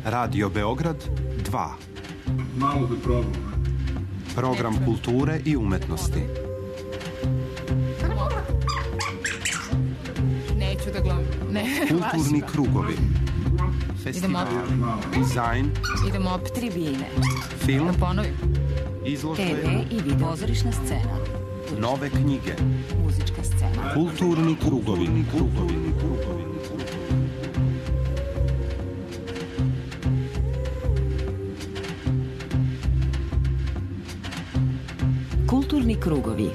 Radio Beograd 2. Malo da probam. Program kulture i umetnosti. Neću da gledam. Kulturni krugovi. Festival, dizajn. Idemo opet tribine. Film. Da ponovim. Izložbe. TV i video. Pozorišna scena. Nove knjige. Muzička scena. Kulturni krugovi. Kulturni krugovi.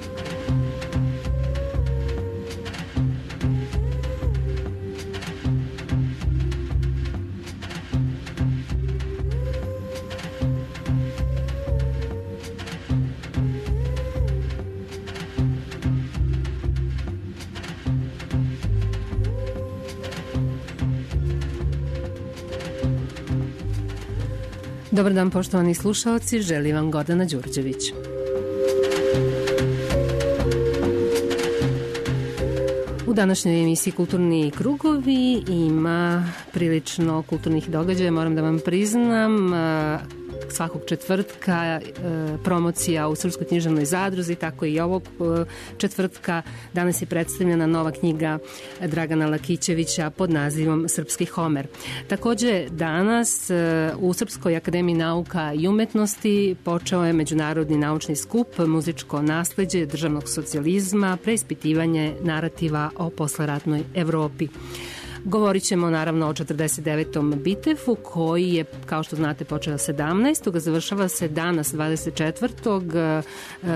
Dobar dan, poštovani slušaoci, želim vam Gordana Đurđević. U današnjoj emisiji Kulturni krugovi ima prilično kulturnih događaja, moram da vam priznam. Svakog četvrtka promocija u Srpskoj književnoj zadruzi, tako i ovog četvrtka. Danas je predstavljena nova knjiga Dragana Lakićevića pod nazivom Srpski Homer. Takođe danas u Srpskoj akademiji nauka i umetnosti počeo je međunarodni naučni skup Muzičko nasleđe državnog socijalizma, preispitivanje narativa o posleratnoj Evropi. Govorit ćemo naravno o 49. Bitefu koji je, kao što znate, počeo 17. Završava se danas 24.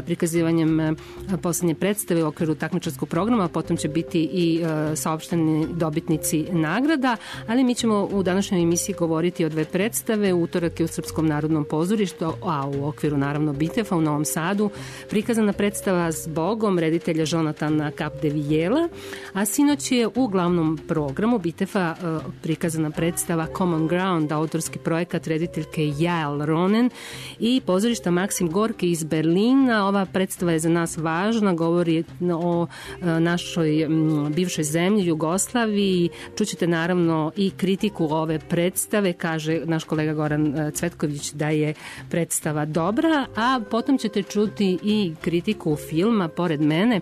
prikazivanjem poslednje predstave u okviru takmičarskog programa, potom će biti i saopšteni dobitnici nagrada, ali mi ćemo u današnjoj emisiji govoriti o dve predstave. Utorak je u Srpskom narodnom pozorištu, a u okviru naravno Bitefa u Novom Sadu prikazana predstava Zbogom reditelja Jonatana Capdevillela, a sinoć je u glavnom programu Bitefa prikazana predstava Common Ground, autorski projekat rediteljke Jael Ronen i pozorišta Maksim Gorki iz Berlina. Ova predstava je za nas važna, govori o našoj bivšoj zemlji, Jugoslaviji. Čućete naravno i kritiku ove predstave, kaže naš kolega Goran Cvetković da je predstava dobra, a potom ćete čuti i kritiku filma pored mene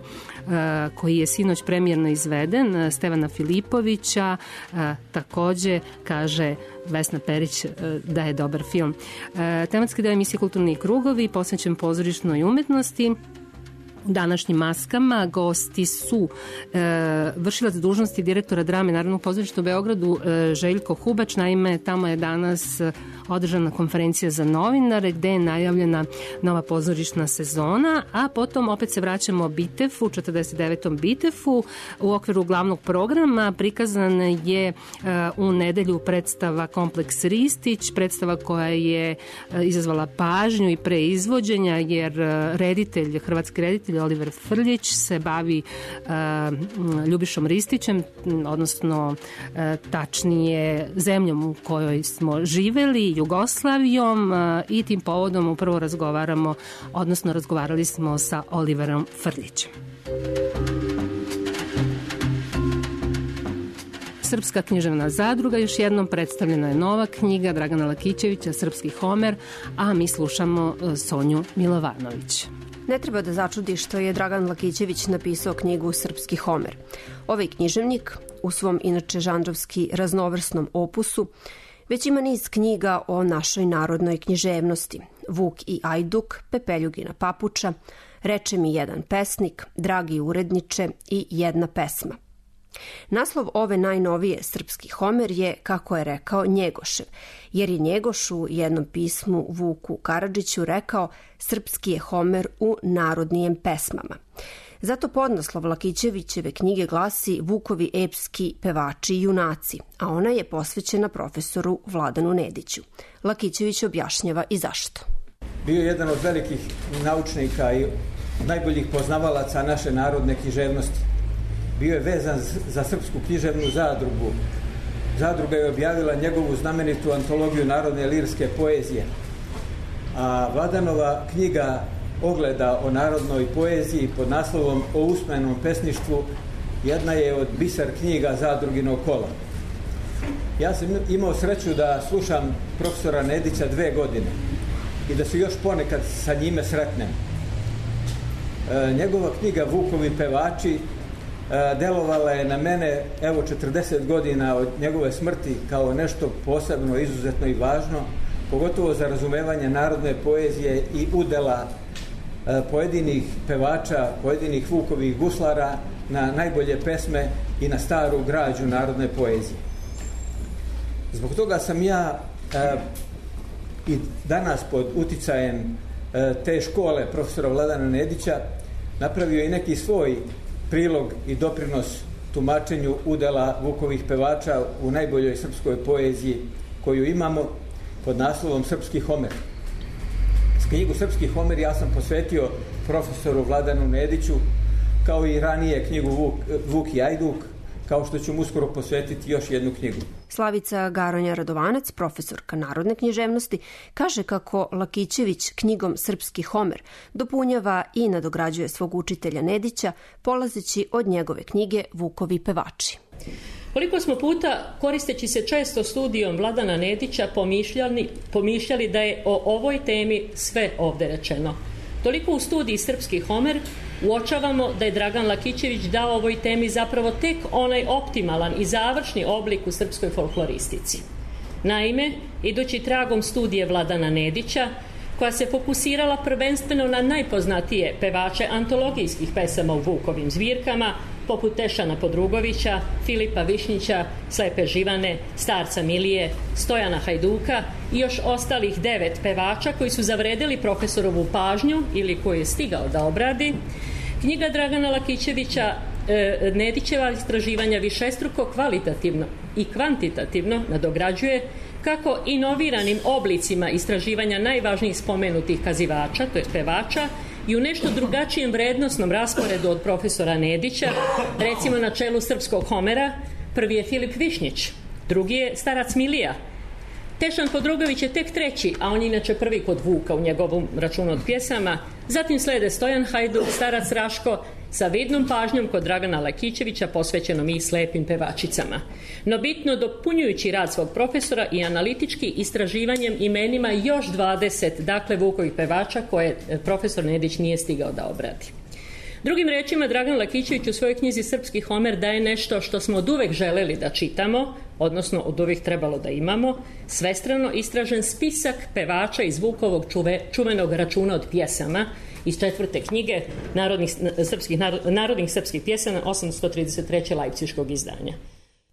koji je sinoć premijerno izveden, Stevana Filipovića. Takođe kaže Vesna Perić da je dobar film. Tematski deo emisije Kulturni krugovi posvećen pozorišnoj umetnosti. U današnjim maskama gosti su vršilac dužnosti direktora drame Narodnog pozorišta u Beogradu Željko Hubač. Naime, tamo je danas održana konferencija za novinare gde je najavljena nova pozorišna sezona, a potom opet se vraćamo Bitefu, 49. Bitefu. U okviru glavnog programa prikazan je u nedelju predstava Kompleks Ristić, predstava koja je izazvala pažnju i pre izvođenja, jer hrvatski reditelj Oliver Frljić se bavi Ljubišom Ristićem, odnosno tačnije zemljom u kojoj smo živeli, Jugoslavijom, i tim povodom upravo razgovarali smo sa Oliverom Frljićem. Srpska književna zadruga, još jednom predstavljena je nova knjiga Dragana Lakićevića, Srpski Homer, a mi slušamo Sonju Milovanović. Ne treba da začudi što je Dragan Lakićević napisao knjigu Srpski Homer. Ovaj književnik, u svom inače žanrovski raznovrsnom opusu, već ima niz knjiga o našoj narodnoj književnosti. Vuk i Ajduk, Pepeljugina papuča, Reče mi jedan pesnik, Dragi uredniče i Jedna pesma. Naslov ove najnovije Srpski Homer je, kako je rekao, Njegošev, jer je Njegoš u jednom pismu Vuku Karadžiću rekao srpski je Homer u narodnijem pesmama. Zato podnaslov Lakićevićeve knjige glasi Vukovi epski pevači i junaci, a ona je posvećena profesoru Vladanu Nediću. Lakićević objašnjava i zašto. Bio je jedan od velikih naučnika i najboljih poznavalaca naše narodne književnosti. Bio je vezan za Srpsku književnu zadrugu. Zadruga je objavila njegovu znamenitu antologiju narodne lirske poezije. A Vladanova knjiga Ogleda o narodnoj poeziji pod naslovom O usmenom pesništvu jedna je od biser knjiga Zadruginog kola. Ja sam imao sreću da slušam profesora Nedića 2 godine i da se još ponekad sa njime sretnem. Njegova knjiga Vukovi pevači delovala je na mene, evo 40 godina od njegove smrti, kao nešto posebno, izuzetno i važno, pogotovo za razumevanje narodne poezije i udela pojedinih pevača, pojedinih Vukovih guslara na najbolje pesme i na staru građu narodne poezije. Zbog toga sam ja i danas pod uticajem te škole profesora Vladana Nedića napravio i neki svoj prilog i doprinos tumačenju udela Vukovih pevača u najboljoj srpskoj poeziji koju imamo pod naslovom Srpski Homer. Knjigu Srpski Homer ja sam posvetio profesoru Vladanu Nediću, kao i ranije knjigu Vuk i Ajduk, kao što ću mu uskoro posvetiti još jednu knjigu. Slavica Garonja Radovanac, profesorka narodne književnosti, kaže kako Lakićević knjigom Srpski Homer dopunjava i nadograđuje svog učitelja Nedića, polazeći od njegove knjige Vukovi pevači. Koliko smo puta, koristeći se često studijom Vladana Nedića, pomišljali da je o ovoj temi sve ovde rečeno. Toliko u studiji Srpski Homer uočavamo da je Dragan Lakićević dao ovoj temi zapravo tek onaj optimalan i završni oblik u srpskoj folkloristici. Naime, idući tragom studije Vladana Nedića, koja se fokusirala prvenstveno na najpoznatije pevače antologijskih pesama u Vukovim zbirkama, poput Tešana Podrugovića, Filipa Višnjića, Slepe Živane, Starca Milije, Stojana Hajduka i još ostalih 9 pevača koji su zavredeli profesorovu pažnju ili koju je stigao da obradi, knjiga Dragana Lakićevića Nedićeva istraživanja višestruko kvalitativno i kvantitativno nadograđuje kako inoviranim oblicima istraživanja najvažnijih spomenutih kazivača, to je pevača, i u nešto drugačijem vrednosnom rasporedu od profesora Nedića, recimo na čelu Srpskog Homera, prvi je Filip Višnjić, drugi je Starac Milija. Tešan Podrugović je tek treći, a on je inače prvi kod Vuka u njegovom računu od pjesama. Zatim slede Stojan Hajduk, Starac Raško, sa vidnom pažnjom kod Dragana Lakićevića posvećenom i slepim pevačicama. No bitno dopunjujući rad svog profesora i analitički istraživanjem imenima još 20, dakle Vukovih pevača koje profesor Nedić nije stigao da obradi. Drugim rečima, Dragan Lakićević u svojoj knjizi Srpski Homer daje nešto što smo od uvek želeli da čitamo, odnosno od uvek trebalo da imamo, svestrano istražen spisak pevača iz Vukovog čuvenog računa od pjesama iz 4. knjige Narodnih srpskih pjesama 833. Lajpciškog izdanja.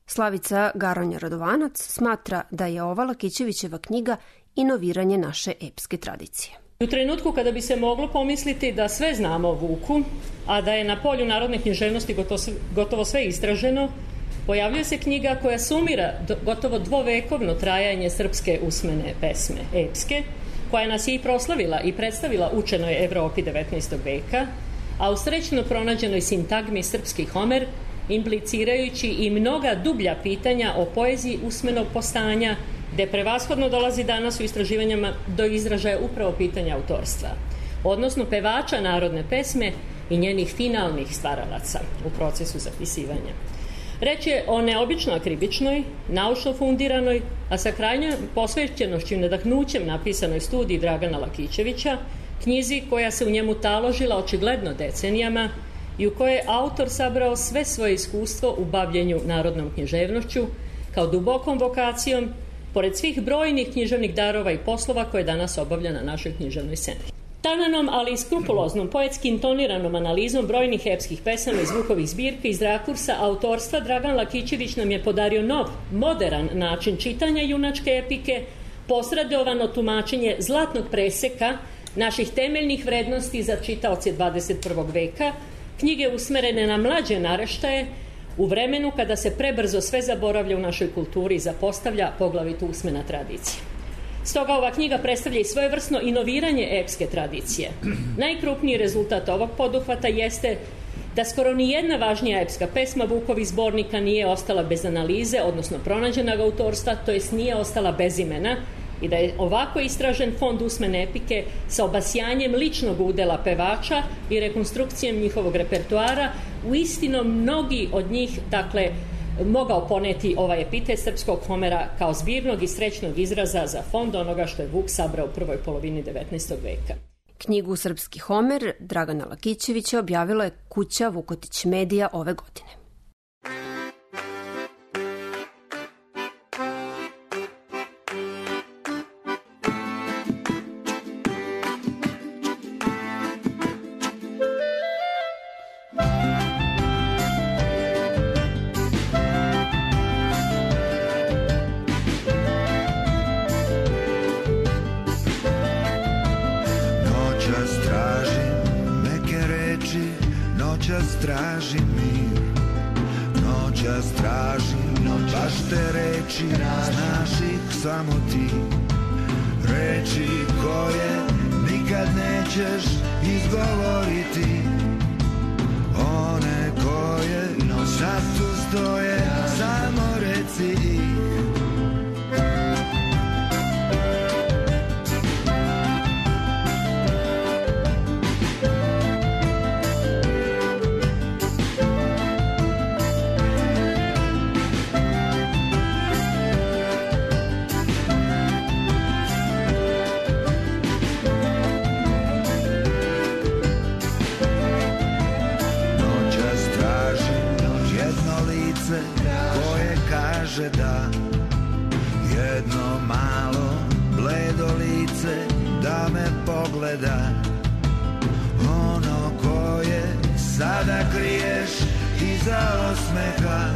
Slavica Garonja Radovanac smatra da je ova Lakićevićeva knjiga inoviranje naše epske tradicije. U trenutku kada bi se moglo pomisliti da sve znamo o Vuku, a da je na polju narodne književnosti gotovo sve istraženo, pojavljuje se knjiga koja sumira gotovo dvovekovno trajanje srpske usmene pesme, epske, koja nas je i proslavila i predstavila učenoj Evropi 19. veka, a u srećno pronađenoj sintagmi Srpski Homer, implicirajući i mnoga dublja pitanja o poeziji usmenog postanja, gde prevashodno dolazi danas u istraživanjama do izražaja upravo pitanja autorstva, odnosno pevača narodne pesme i njenih finalnih stvaralaca u procesu zapisivanja. Reč je o neobično akribičnoj, naučno fundiranoj, a sa krajnjom posvećenošću i nadahnućem napisanoj studiji Dragana Lakićevića, knjizi koja se u njemu taložila očigledno decenijama i u kojoj je autor sabrao sve svoje iskustvo u bavljenju narodnom književnošću, kao dubokom vokacijom, pored svih brojnih književnih darova i poslova koje danas obavlja na našoj književnoj sceni. Tananom, ali i skrupuloznom, poetski intoniranom analizom brojnih epskih pesama iz Vukovih zbirka iz rakursa autorstva, Dragan Lakićević nam je podario nov, moderan način čitanja junačke epike, posredovano tumačenje zlatnog preseka naših temeljnih vrednosti za čitaoce 21. veka, knjige usmerene na mlađe naraštaje, u vremenu kada se prebrzo sve zaboravlja u našoj kulturi i zapostavlja poglavito usmena tradicija. Stoga ova knjiga predstavlja i svojevrsno inoviranje epske tradicije. Najkrupniji rezultat ovog poduhvata jeste da skoro ni jedna važnija epska pesma Vukovih zbornika nije ostala bez analize, odnosno pronađenog autorstva, to jest nije ostala bez imena, i da je ovako istražen fond usmene epike sa obasjanjem ličnog udela pevača i rekonstrukcijom njihovog repertoara, uistinu mnogi od njih, dakle, mogao poneti ovaj epitet srpskog Homera kao zbirnog i srećnog izraza za fond onoga što je Vuk sabrao u prvoj polovini 19. veka. Knjigu Srpski Homer Dragana Lakićevića objavila je kuća Vukotić Medija ove godine. Tražim mir, noćas tražim, baš te reči, znaš ih samo ti. Reči koje nikad nećeš izgovoriti, one koje sad tu stoje, samo reci ih. Koje kaže da, jedno malo bledo lice da me pogleda, ono koje sada kriješ iza osmeha.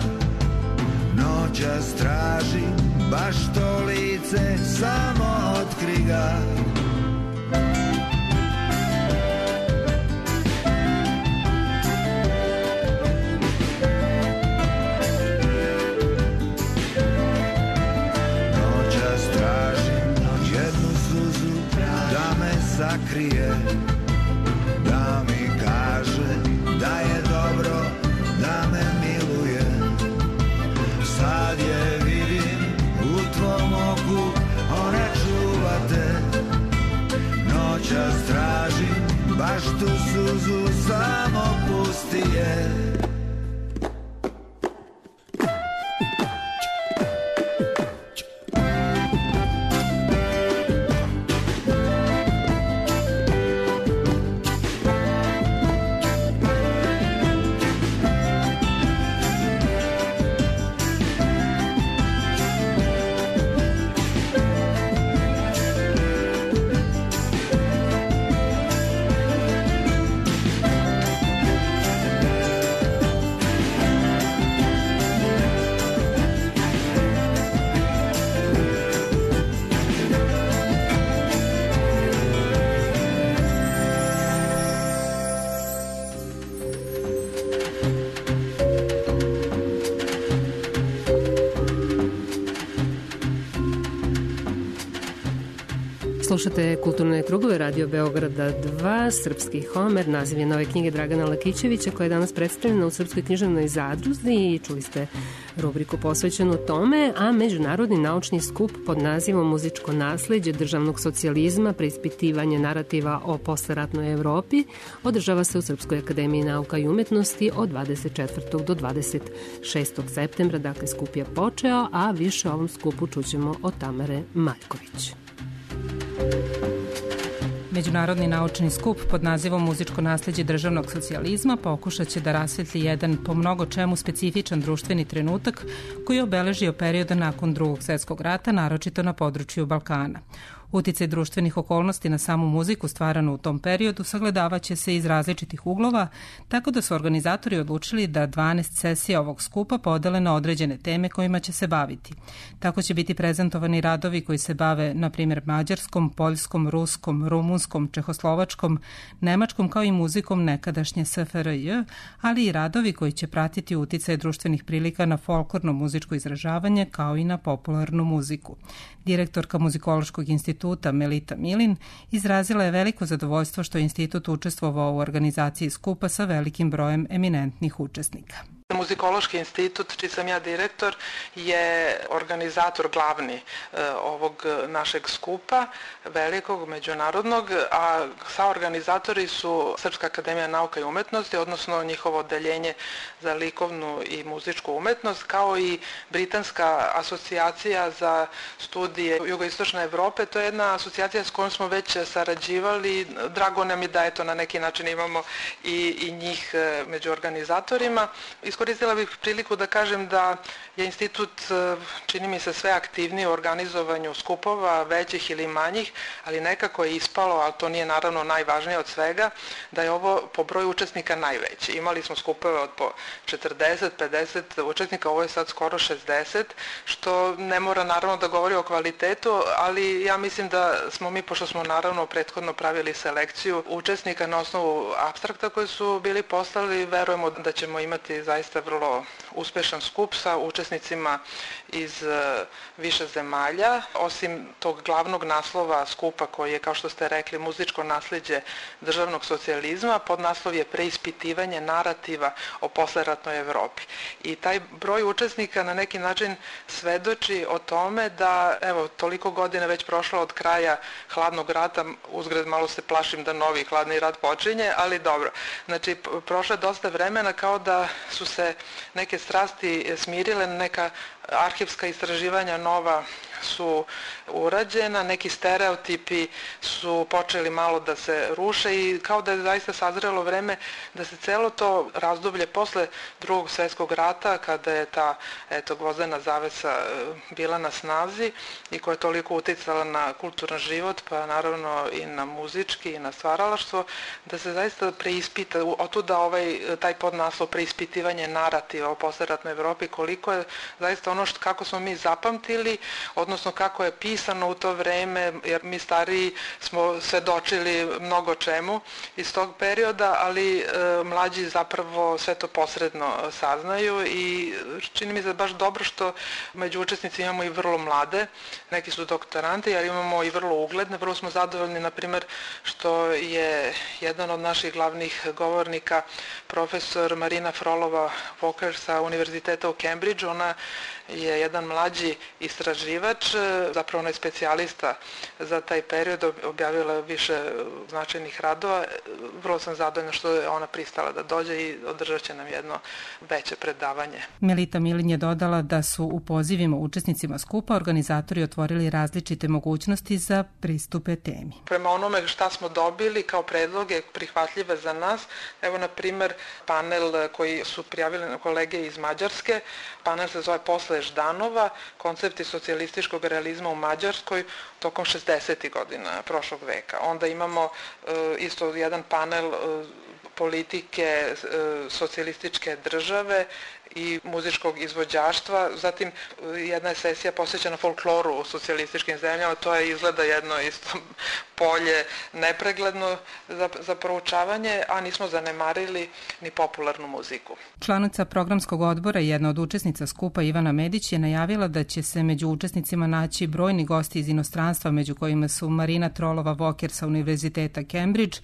Noćas tražim baš to lice, samo otkri ga. Sakrije, da mi kaže da je dobro, da me miluje. Sad je vidim u tvom oku, ona čuva te. Noćas tražim baš tu suzu, samo pusti je. Slušate Kulturne krugove Radio Beograda 2, Srpski Homer, naziv je nove knjige Dragana Lakićevića koja je danas predstavljena u Srpskoj književnoj zadruzi i čuli ste rubriku posvećenu tome, a Međunarodni naučni skup pod nazivom Muzičko nasleđe državnog socijalizma, preispitivanje narativa o posleratnoj Evropi održava se u Srpskoj akademiji nauka i umetnosti od 24. do 26. septembra, dakle skup je počeo, a više o ovom skupu čućemo od Tamare Maljković. Međunarodni naučni skup pod nazivom Muzičko nasleđe državnog socijalizma pokušat će da rasvetli jedan po mnogo čemu specifičan društveni trenutak koji je obeležio perioda nakon Drugog svjetskog rata, naročito na području Balkana. Uticaj društvenih okolnosti na samu muziku stvaranu u tom periodu sagledavaće se iz različitih uglova, tako da su organizatori odlučili da 12 sesija ovog skupa podele na određene teme kojima će se baviti. Tako će biti prezentovani radovi koji se bave, na primjer, mađarskom, poljskom, ruskom, rumunskom, čehoslovačkom, nemačkom, kao i muzikom nekadašnje SFRJ, ali i radovi koji će pratiti uticaj društvenih prilika na folklorno muzičko izražavanje, kao i na popularnu muziku. Direktorka Muzikološkog instituta Melita Milin izrazila je veliko zadovoljstvo što je institut učestvovao u organizaciji skupa sa velikim brojem eminentnih učesnika. Muzikološki institut, čiji sam ja direktor, je organizator glavni ovog našeg skupa, velikog, međunarodnog, a saorganizatori su Srpska akademija nauka i umetnosti, odnosno njihovo odeljenje za likovnu i muzičku umetnost, kao i Britanska asocijacija za studije jugoistočne Evrope. To je jedna asocijacija s kojom smo već sarađivali. Drago nam je da eto na neki način imamo i njih među organizatorima. Iskoristila bih priliku da kažem da je institut, čini mi se, sve aktivniji u organizovanju skupova, većih ili manjih, ali nekako je ispalo, ali to nije naravno najvažnije od svega, da je ovo po broju učesnika najveći. Imali smo skupove od po 40, 50 učesnika, ovo je sad skoro 60, što ne mora naravno da govori o kvalitetu, ali ja mislim da smo mi, pošto smo naravno prethodno pravili selekciju učesnika na osnovu apstrakta koji su bili poslali, verujemo da ćemo imati zaista vrlo uspešan skup sa učesnicima iz više zemalja. Osim tog glavnog naslova skupa koji je, kao što ste rekli, muzičko nasleđe državnog socijalizma, podnaslov je preispitivanje narativa o posleratnoj Evropi. I taj broj učesnika na neki način svedoči o tome da, evo, toliko godina već prošlo od kraja hladnog rata, uzgred malo se plašim da novi hladni rat počinje, ali dobro. Znači, prošlo je dosta vremena, kao da su se neke strasti smirile, neka arhivska istraživanja nova su urađena, neki stereotipi su počeli malo da se ruše i kao da je zaista sazrelo vreme da se celo to razdoblje posle Drugog svjetskog rata, kada je ta gvozdena zavesa bila na snazi i koja je toliko uticala na kulturan život, pa naravno i na muzički i na stvaralaštvo, da se zaista preispita, otuda taj podnaslov preispitivanje narativa o posleratnoj Evropi, koliko je zaista ono kako smo mi zapamtili, odnosno kako je pisano u to vreme, jer mi stariji smo svedočili mnogo čemu iz tog perioda, ali mlađi zapravo sve to posredno saznaju i čini mi se baš dobro što među učesnici imamo i vrlo mlade, neki su doktoranti, ali imamo i vrlo ugledne, vrlo smo zadovoljni, na primjer, što je jedan od naših glavnih govornika, profesor Marina Frolova-Walker sa Univerziteta u Cambridgeu. Ona je jedan mlađi istraživač, zapravo ona je specijalista za taj period, objavila više značajnih radova. Vrlo sam zadovoljna što je ona pristala da dođe i održat će nam jedno veće predavanje. Melita Milin je dodala da su u pozivima učesnicima skupa organizatori otvorili različite mogućnosti za pristupe temi. Prema onome šta smo dobili kao predloge prihvatljive za nas, evo na primer panel koji su prijavili kolege iz Mađarske, panel se zove Posle Ždanova, koncepti socijalističkog realizma u Mađarskoj tokom 60. godina prošlog veka. Onda imamo isto jedan panel politike socijalističke države i muzičkog izvođaštva. Zatim jedna je sesija posvećena folkloru u socijalističkim zemljama, to je izgleda jedno isto polje nepregledno za proučavanje, a nismo zanemarili ni popularnu muziku. Članica programskog odbora i jedna od učesnica skupa Ivana Medić je najavila da će se među učesnicima naći brojni gosti iz inostranstva, među kojima su Marina Trolova-Walker sa Univerziteta Cambridge,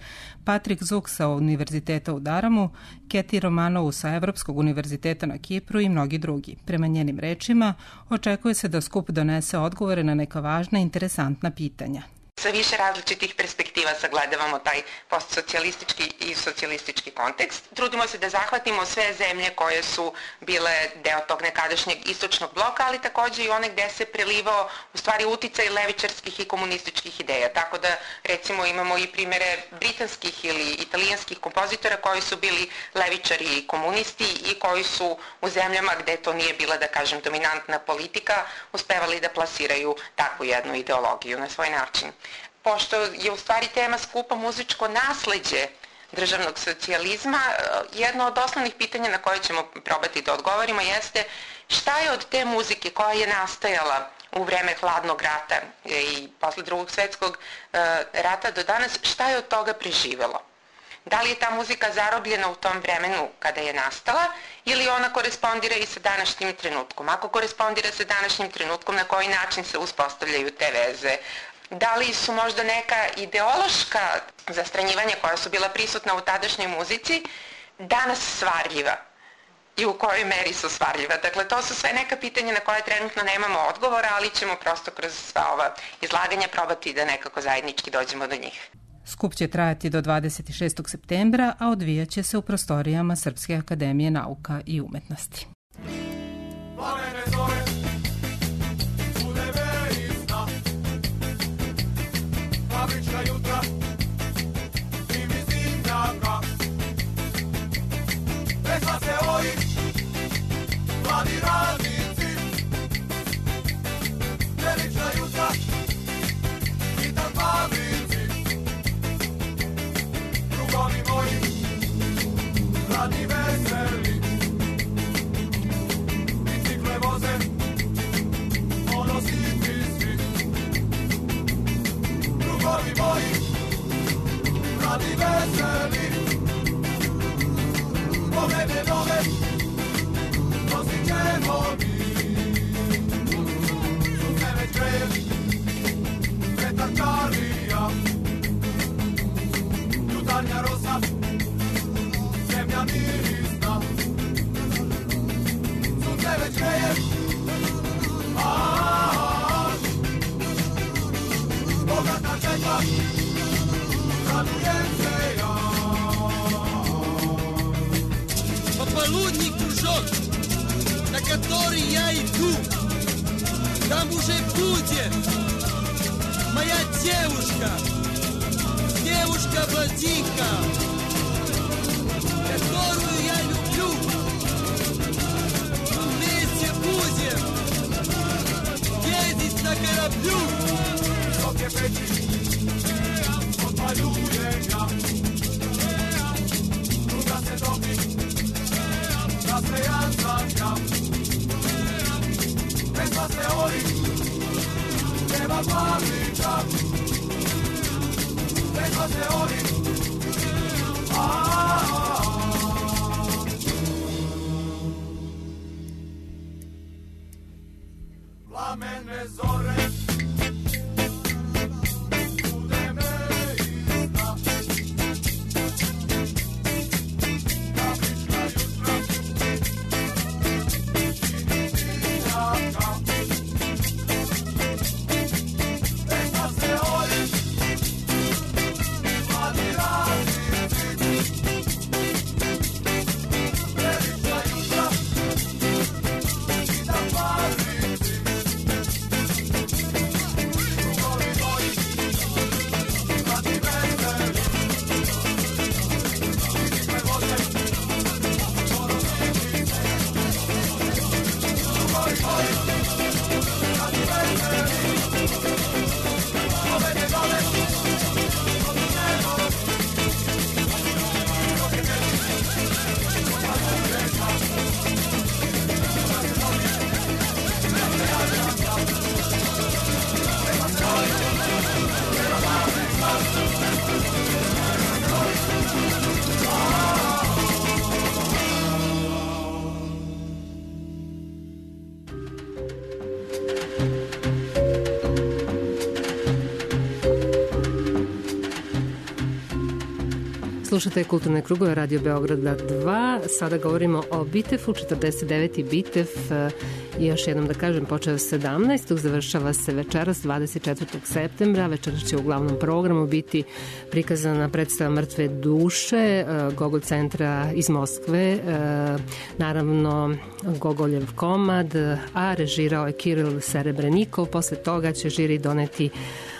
Patrik Zuk sa Univerziteta u Daramu, Keti Romanovu sa Evropskog univerziteta na Kipru i mnogi drugi. Prema njenim rečima, očekuje se da skup donese odgovore na neka važna i interesantna pitanja. Sa više različitih perspektiva sagledavamo taj postsocijalistički i socijalistički kontekst. Trudimo se da zahvatimo sve zemlje koje su bile deo tog nekadašnjeg istočnog bloka, ali takođe i one gde se prelivao u stvari uticaj levičarskih i komunističkih ideja. Tako da recimo imamo i primere britanskih ili italijanskih kompozitora koji su bili levičari i komunisti i koji su u zemljama gde to nije bila, da kažem, dominantna politika, uspevali da plasiraju takvu jednu ideologiju na svoj način. Pošto je u stvari tema skupa muzičko nasleđe državnog socijalizma, jedno od osnovnih pitanja na koje ćemo probati da odgovorimo jeste šta je od te muzike koja je nastajala u vreme hladnog rata i posle Drugog svjetskog rata do danas, šta je od toga preživelo? Da li je ta muzika zarobljena u tom vremenu kada je nastala ili ona korespondira i sa današnjim trenutkom? Ako korespondira sa današnjim trenutkom, na koji način se uspostavljaju te veze? Da li su možda neka ideološka zastranjivanja koja su bila prisutna u tadašnjoj muzici danas svarljiva? i u kojoj meri su stvarljiva. Dakle, to su sve neka pitanja na koje trenutno nemamo odgovora, ali ćemo prosto kroz sva ova izlaganja probati da nekako zajednički dođemo do njih. Skup će trajati do 26. septembra, a odvijaće se u prostorijama Srpske akademije nauka i umetnosti. Mladi radnici, velična jutra i tam fabrici, drugovi moji, radni veseli, bicikle voze, monositni svi, drugovi moji, radni veseli, pobede nove, nosit ćemo mi. Sunce već greje, vetar čarlija, jutarnja rosa, zemlja mirisna. Sunce već greje, bogata čeka, radujem se ja. Полудник кружок, на который я иду, там уже будет моя девушка, девушка-блондинка, которую я люблю. Вместе будем ездить на кораблю. Высокие печи, подпалюем я, круга се тоpi, naslejan sam ja. Pesma se ori, nema plavnika. Pesma se ori, plamene zore. Slušate Kulturne krugove Radio Beograda 2. Sada govorimo o Bitefu, 49. Bitef. I još jednom da kažem, počeo 17. završava se večeras 24. septembra. Večeras će u glavnom programu biti prikazana predstava Mrtve duše Gogol centra iz Moskve. Naravno Gogoljev komad, a režirao je Kiril Serebrenikov. Posle toga će žiri doneti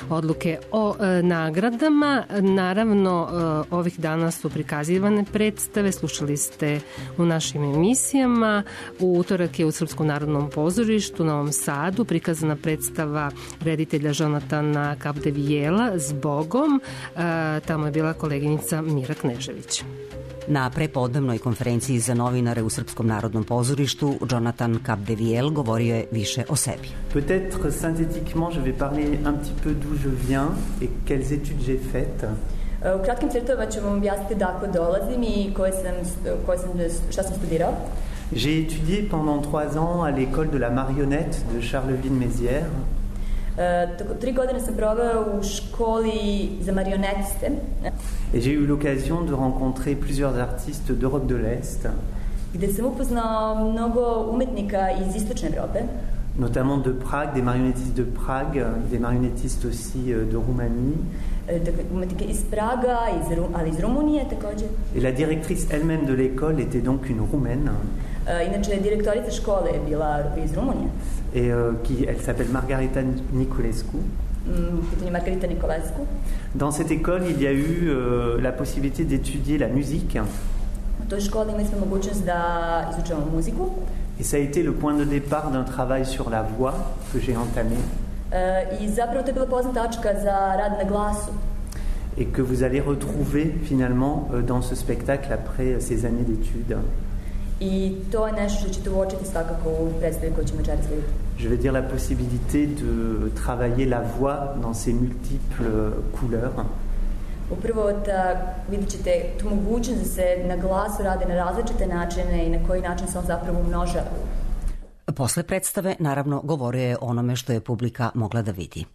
odluke o nagradama. Naravno, ovih dana su prikazivane predstave, slušali ste u našim emisijama. U utorak je u Srpskom narodnom pozorištu u Novom Sadu prikazana predstava reditelja Jonatana Kapdevijela Zbogom. Tamo je bila koleginica Mira Knežević. Na prepodnevnoj konferenciji za novinare u Srpskom narodnom pozorištu Jonathan Kapdevijel govorio je više o sebi. Peut-être synthétiquement je vais parler un petit peu d'où je viens et quelles études j'ai faites. U kratkim crtovima ću vam objasniti dakle dolazim i šta sam studirao. J'ai étudié pendant 3 ans à l'école de la marionnette de Charleville-Mézières. 3 godine sam proveo u školi za marionetiste. Et j'ai eu l'occasion de rencontrer plusieurs artistes d'Europe de l'Est. gde sam upoznao mnogo umetnika iz istočne Evrope. Notamment de Prague, des marionnettistes de Prague, des marionnettistes aussi de Roumanie. Umetnike iz Praga, ali iz Rumunije takođe. Et la directrice elle-même de l'école était donc une Roumaine. Inače, direktorica škole je bila iz Rumunije. Et elle s'appelle Margarita Niculescu. Margarita Niculescu. Dans cette école, il y a eu la possibilité d'étudier la musique. U toj školi imali smo mogućnost da izučavamo muziku. Et ça a été le point de départ d'un travail sur la voix que j'ai entamé. I zapravo to je bila pozna tačka za rad na glasu. Et que vous allez retrouver finalement dans ce spectacle après ces années d'études. I to je nešto što ćete uočiti svakako u predstavi koju ćemo večeras vidjeti. Je veux dire la possibilité de travailler la voix dans ses multiples couleurs. Upravo da vidjet ćete tu mogućnost da se na glasu rade na različite načine i na koji način se on zapravo umnožava. Posle predstave, naravno, govorio je onome što je publika mogla da vidi.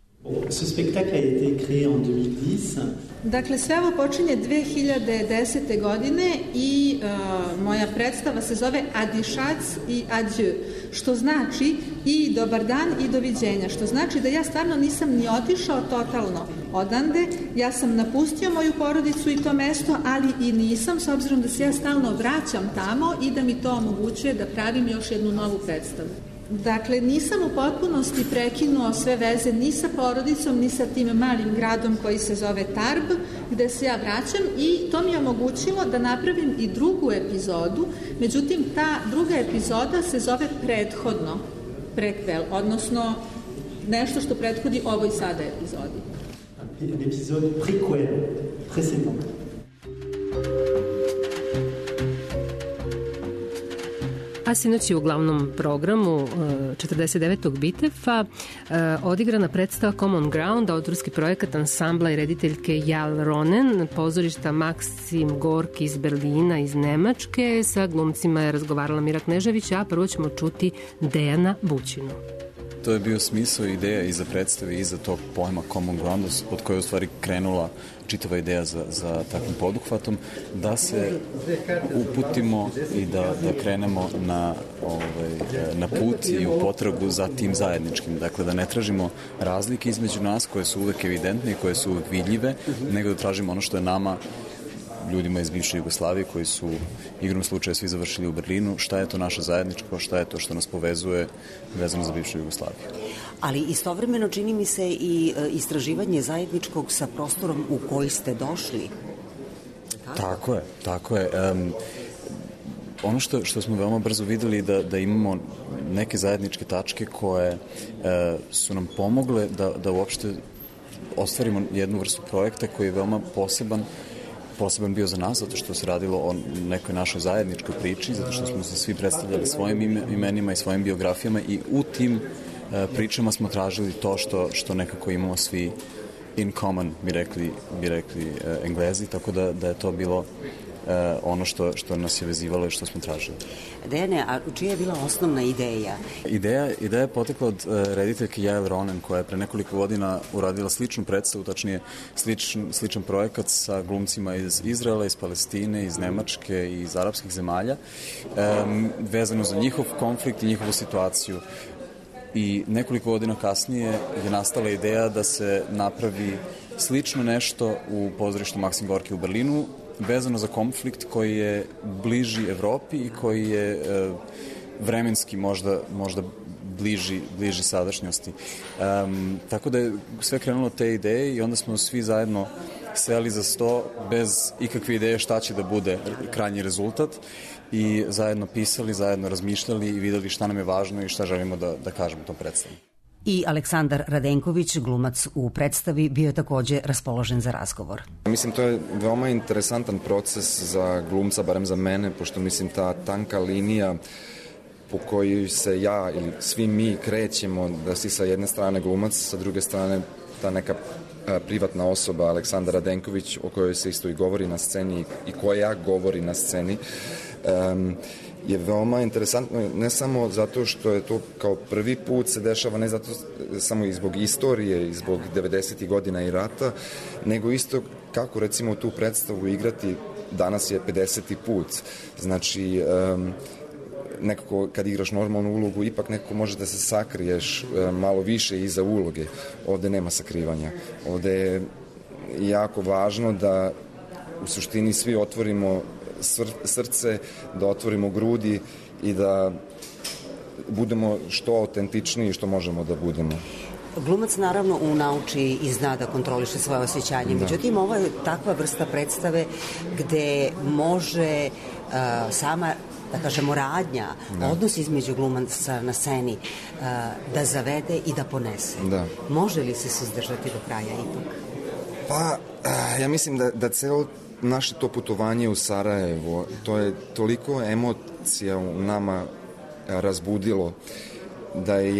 Ce spectacle a été créé en 2010. Dakle, sve ovo počinje 2010. godine i moja predstava se zove Adišac i Adieu, što znači i dobar dan i doviđenja, što znači da ja stvarno nisam ni otišao totalno odande, ja sam napustio moju porodicu i to mesto, ali i nisam, s obzirom da se ja stalno vraćam tamo i da mi to omogućuje da pravim još jednu novu predstavu. Dakle, nisam u potpunosti prekinuo sve veze ni sa porodicom, ni sa tim malim gradom koji se zove Tarbes, gde se ja vraćam i to mi je omogućilo da napravim i drugu epizodu, međutim, ta druga epizoda se zove prethodno, prequel, odnosno nešto što prethodi ovoj sada epizodi. L'épizode prequel, précédent. A sinoć je u glavnom programu 49. Bitefa odigrana predstava Common Ground, autorski projekat ansambla i rediteljke Jal Ronen, pozorišta Maksim Gorki iz Berlina, iz Nemačke. Sa glumcima je razgovarala Mira Knežević, a prvo ćemo čuti Dejana Bućinu. To je bio smisao i ideja iza predstave, iza tog pojma Common Ground, od koje je u stvari krenula čitava ideja za takvim poduhvatom, da se uputimo i da krenemo na put i u potragu za tim zajedničkim. Dakle, da ne tražimo razlike između nas koje su uvek evidentne i koje su uvek vidljive, nego da tražimo ono što je nama, ljudima iz bivše Jugoslavije koji su igrom slučaja svi završili u Berlinu, šta je to naše zajedničko, šta je to što nas povezuje vezano za bivšu Jugoslaviju. Ali istovremeno čini mi se i istraživanje zajedničkog sa prostorom u koji ste došli. Tako je. Ono što smo veoma brzo videli da imamo neke zajedničke tačke koje su nam pomogle da uopšte ostvarimo jednu vrstu projekta koji je veoma poseban bio za nas, zato što se radilo o nekoj našoj zajedničkoj priči, zato što smo se svi predstavljali svojim imenima i svojim biografijama i u tim pričama smo tražili to što nekako imamo svi in common, bi rekli Englezi, tako da je to bilo ono što nas je vezivalo i što smo tražili. Dejane, a čija je bila osnovna ideja? Ideja je potekla od rediteljke Jael Ronen, koja je pre nekoliko godina uradila sličnu predstavu, tačnije sličan projekat sa glumcima iz Izraela, iz Palestine, iz Nemačke i iz arapskih zemalja, vezano za njihov konflikt i njihovu situaciju. I nekoliko godina kasnije je nastala ideja da se napravi slično nešto u pozorištu Maksim Gorki u Berlinu, vezano za konflikt koji je bliži Evropi i koji je vremenski možda bliži sadašnjosti. Tako da je sve krenulo te ideje i onda smo svi zajedno seli za sto bez ikakve ideje šta će da bude krajnji rezultat i zajedno pisali, zajedno razmišljali i videli šta nam je važno i šta želimo da kažemo u tom predstavu. I Aleksandar Radenković, glumac u predstavi, bio je takođe raspoložen za razgovor. Mislim, to je veoma interesantan proces za glumca, barem za mene, pošto mislim ta tanka linija po kojoj se ja ili svi mi krećemo, da si sa jedne strane glumac, sa druge strane ta neka privatna osoba, Aleksandar Radenković, o kojoj se isto i govori na sceni i koja govori na sceni, je veoma interesantno, ne samo zato što je to kao prvi put se dešava, ne zato samo i zbog istorije i zbog 90. godina i rata, nego isto kako recimo tu predstavu igrati danas je 50. put. Znači, nekako kad igraš normalnu ulogu, ipak nekako može da se sakriješ malo više iza uloge. Ovde nema sakrivanja. Ovde je jako važno da u suštini svi otvorimo srce, da otvorimo grudi i da budemo što autentičniji što možemo da budemo. Glumac naravno nauči i zna da kontroliše svoje osjećanje. Međutim, ovo je takva vrsta predstave gde može sama, da kažemo, radnja, odnos između glumaca na sceni da zavede i da ponese. Može li se suzdržati do kraja ipak? Pa, ja mislim da celo naše to putovanje u Sarajevo, to je toliko emocija u nama razbudilo, da je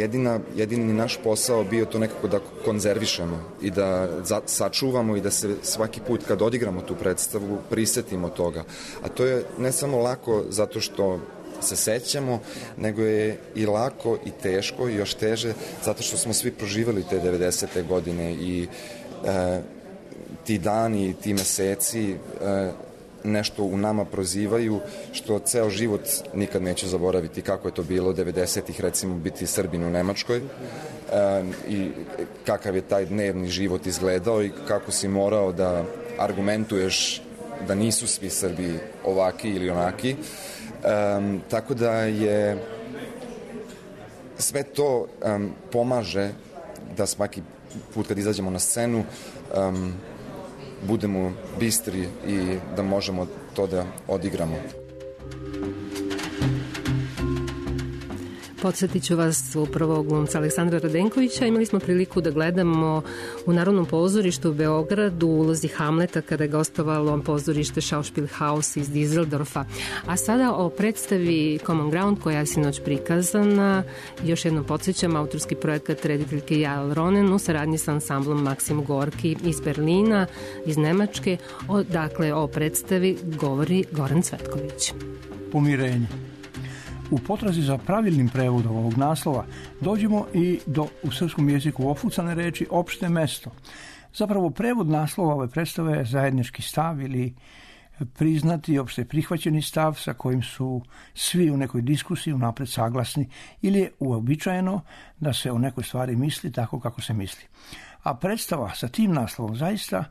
jedini naš posao bio to nekako da konzervišemo i da sačuvamo i da se svaki put kad odigramo tu predstavu prisetimo toga. A to je ne samo lako zato što se sećamo, nego je i lako i teško i još teže zato što smo svi proživali te 90. godine i ti dani, ti meseci nešto u nama prozivaju što ceo život nikad neću zaboraviti kako je to bilo 90-ih, recimo biti Srbin u Nemačkoj i kakav je taj dnevni život izgledao i kako si morao da argumentuješ da nisu svi Srbi ovaki ili onaki. Tako da je sve to pomaže da svaki put kad izađemo na scenu budemo bistri i da možemo to da odigramo. Podsjetit ću vas upravo glumca Aleksandra Radenkovića. Imali smo priliku da gledamo u Narodnom pozorištu u Beogradu u ulozi Hamleta kada je gostovalo pozorište Schauspielhaus iz Düsseldorfa. A sada o predstavi Common Ground koja je sinoć prikazana. Još jednom podsjećam, autorski projekat rediteljke Jael Ronen u saradnji sa ansamblom Maksim Gorki iz Berlina, iz Nemačke. Dakle, o predstavi govori Goran Cvetković. Pomirenje. U potrazi za pravilnim prevodom ovog naslova dođemo i do u srpskom jeziku ofucane reči opšte mesto. Zapravo prevod naslova ove predstave je zajednički stav ili priznati opšte prihvaćeni stav sa kojim su svi u nekoj diskusiji unapred saglasni ili je uobičajeno da se o nekoj stvari misli tako kako se misli. A predstava sa tim naslovom zaista,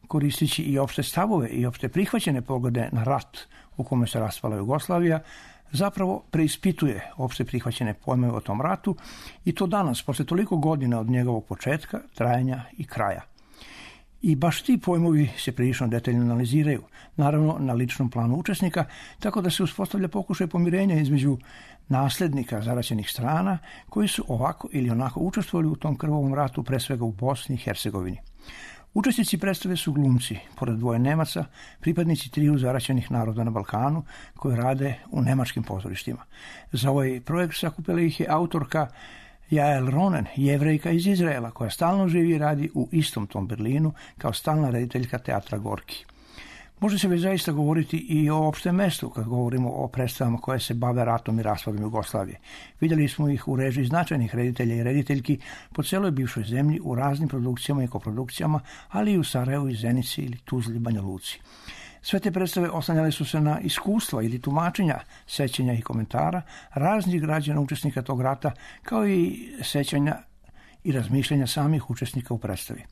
koristići i opšte stavove i opšte prihvaćene poglede na rat u kome se raspala Jugoslavija, zapravo preispituje opšte prihvaćene pojmove o tom ratu i to danas, posle toliko godina od njegovog početka, trajanja i kraja. I baš ti pojmovi se prilično detaljno analiziraju, naravno na ličnom planu učesnika, tako da se uspostavlja pokušaj pomirenja između naslednika zaraćenih strana koji su ovako ili onako učestvovali u tom krvavom ratu, pre svega u Bosni i Hercegovini. Učesnici predstave su glumci, pored dvoje Nemaca, pripadnici triju zaraćenih naroda na Balkanu koji rade u nemačkim pozorištima. Za ovaj projekt sakupila ih je autorka Jael Ronen, Jevrejka iz Izraela, koja stalno živi i radi u istom tom Berlinu kao stalna rediteljka teatra Gorki. Može se već zaista govoriti i o opštem mestu kad govorimo o predstavama koje se bave ratom i raspadom Jugoslavije. Vidjeli smo ih u režiji značajnih reditelja i rediteljki po celoj bivšoj zemlji u raznim produkcijama i koprodukcijama, ali i u Sarajevu i Zenici ili Tuzli, Banja Luci. Sve te predstave oslanjale su se na iskustva ili tumačenja, sećanja i komentara raznih građana učesnika tog rata, kao i sećanja i razmišljanja samih učesnika u predstavi.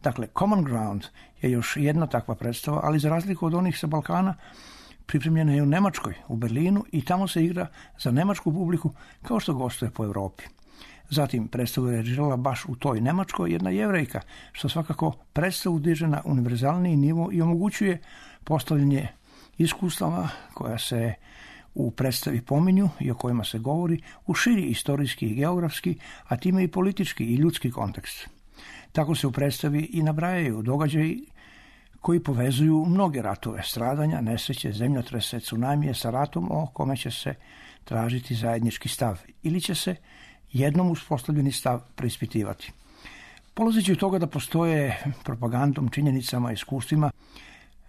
Dakle, Common Ground je još jedna takva predstava, ali za razliku od onih sa Balkana, pripremljena je u Nemačkoj, u Berlinu i tamo se igra za nemačku publiku kao što gostuje po Evropi. Zatim, predstavu je režirala baš u toj Nemačkoj jedna Jevrejka, što svakako predstavu diže na univerzalniji nivo i omogućuje postavljanje iskustava koja se u predstavi pominju i o kojima se govori u širi istorijski i geografski, a time i politički i ljudski kontekst. Tako se u predstavi i nabrajaju događaji koji povezuju mnoge ratove, stradanja, nesreće, zemljotrese, tsunamije sa ratom o kome će se tražiti zajednički stav ili će se jednom uspostavljeni stav preispitivati. Polazeći od toga da postoje propagandom, činjenicama, iskustvima,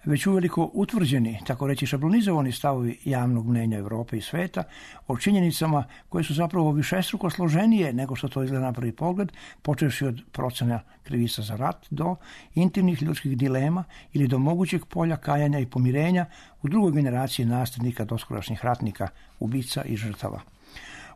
već uveliko utvrđeni, tako reći šablonizovani stavovi javnog mnenja Evrope i sveta o činjenicama koje su zapravo višestruko složenije nego što to izgleda na prvi pogled, počevši od procena krivica za rat do intimnih ljudskih dilema ili do mogućeg polja kajanja i pomirenja u drugoj generaciji nasljednika doskorašnjih ratnika, ubica i žrtava.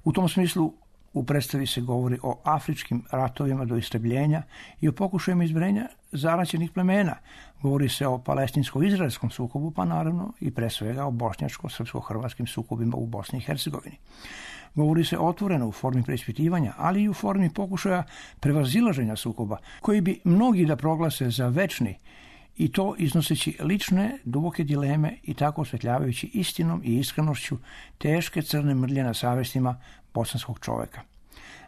U tom smislu u predstavi se govori o afričkim ratovima do istrebljenja i o pokušajima izbrenja zaraćenih plemena. Govori se o palestinsko-izraelskom sukobu, pa naravno i pre svega o bošnjačko-srpsko-hrvatskim sukobima u Bosni i Hercegovini. Govori se otvoreno u formi preispitivanja, ali i u formi pokušaja prevazilaženja sukoba, koji bi mnogi da proglase za večni, i to iznoseći lične, duboke dileme i tako osvetljavajući istinom i iskrenošću teške crne mrlje na savestima bosanskog čoveka.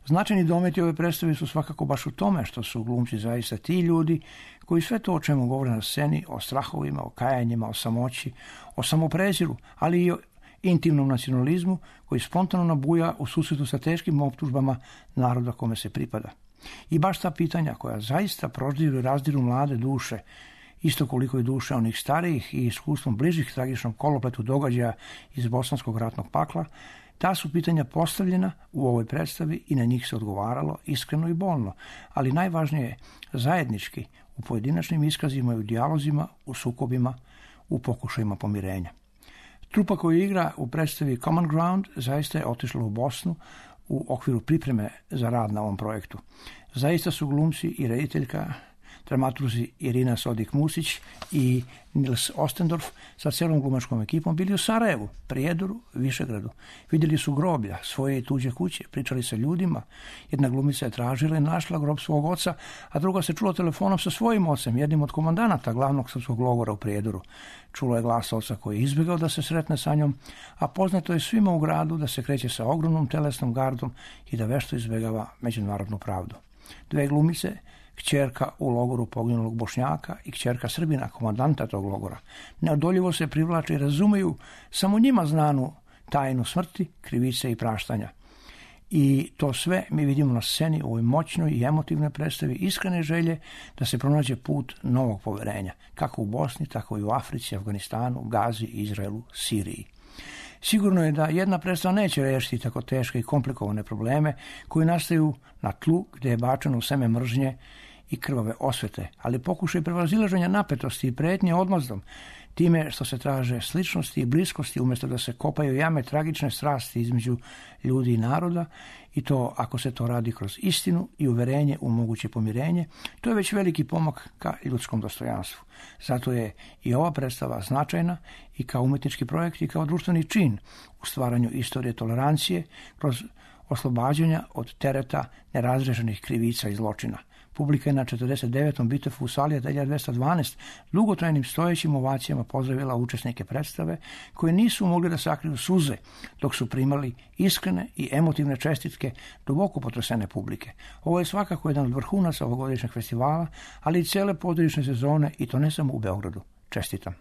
Značajni dometi ove predstave su svakako baš u tome što su glumci zaista ti ljudi koji sve to o čemu govore na sceni, o strahovima, o kajanjima, o samoći, o samopreziru, ali i o intimnom nacionalizmu koji spontano nabuja u susretu sa teškim optužbama naroda kome se pripada. I baš ta pitanja koja zaista proždiru i razdiru mlade duše, isto koliko i duše onih starijih i iskustvom bližih tragičnom kolopletu događaja iz bosanskog ratnog pakla, ta su pitanja postavljena u ovoj predstavi i na njih se odgovaralo iskreno i bolno, ali najvažnije zajednički u pojedinačnim iskazima i u dijalozima, u sukobima, u pokušajima pomirenja. Trupa koju igra u predstavi Common Ground zaista je otišla u Bosnu u okviru pripreme za rad na ovom projektu. Zaista su glumci i rediteljka, dramaturzi Irina Sodik-Musić i Nils Ostendorf sa celom glumačkom ekipom bili u Sarajevu, Prijedoru, Višegradu. Vidjeli su groblja, svoje i tuđe kuće, pričali sa ljudima. Jedna glumica je tražila i našla grob svog oca, a druga se čula telefonom sa svojim ocem, jednim od komandanata glavnog srpskog logora u Prijedoru. Čulo je glas oca koji je izbjegao da se sretne sa njom, a poznato je svima u gradu da se kreće sa ogromnom telesnom gardom i da vešto izbjegava međunarodnu pravdu. Dve glumice, kćerka u logoru poginulog Bošnjaka i kćerka Srbina, komandanta tog logora, neodoljivo se privlače i razumeju samo njima znanu tajnu smrti, krivice i praštanja. I to sve mi vidimo na sceni u ovoj moćnoj i emotivnoj predstavi iskrene želje da se pronađe put novog poverenja, kako u Bosni, tako i u Africi, Afganistanu, Gazi, Izraelu, Siriji. Sigurno je da jedna predstava neće rešiti tako teške i komplikovane probleme koji nastaju na tlu gdje je bačeno seme mržnje i krvave osvete, ali pokušaj prevazilaženja napetosti i pretnje odmazdom, time što se traže sličnosti i bliskosti umjesto da se kopaju jame tragične strasti između ljudi i naroda, i to ako se to radi kroz istinu i uverenje u moguće pomirenje, to je već veliki pomak ka ljudskom dostojanstvu. Zato je i ova predstava značajna i kao umetnički projekt i kao društveni čin u stvaranju istorije tolerancije kroz oslobađanja od tereta nerazrešenih krivica i zločina. Publika je na 49. Bitefu u sali 1212 dugotrajnim stojećim ovacijama pozdravila učesnike predstave koje nisu mogli da sakriju suze dok su primali iskrene i emotivne čestitke duboko potresene publike. Ovo je svakako jedan od vrhunaca ovogodišnjeg festivala, ali i cele pozorišne sezone, i to ne samo u Beogradu. Čestitam.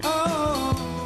Oh,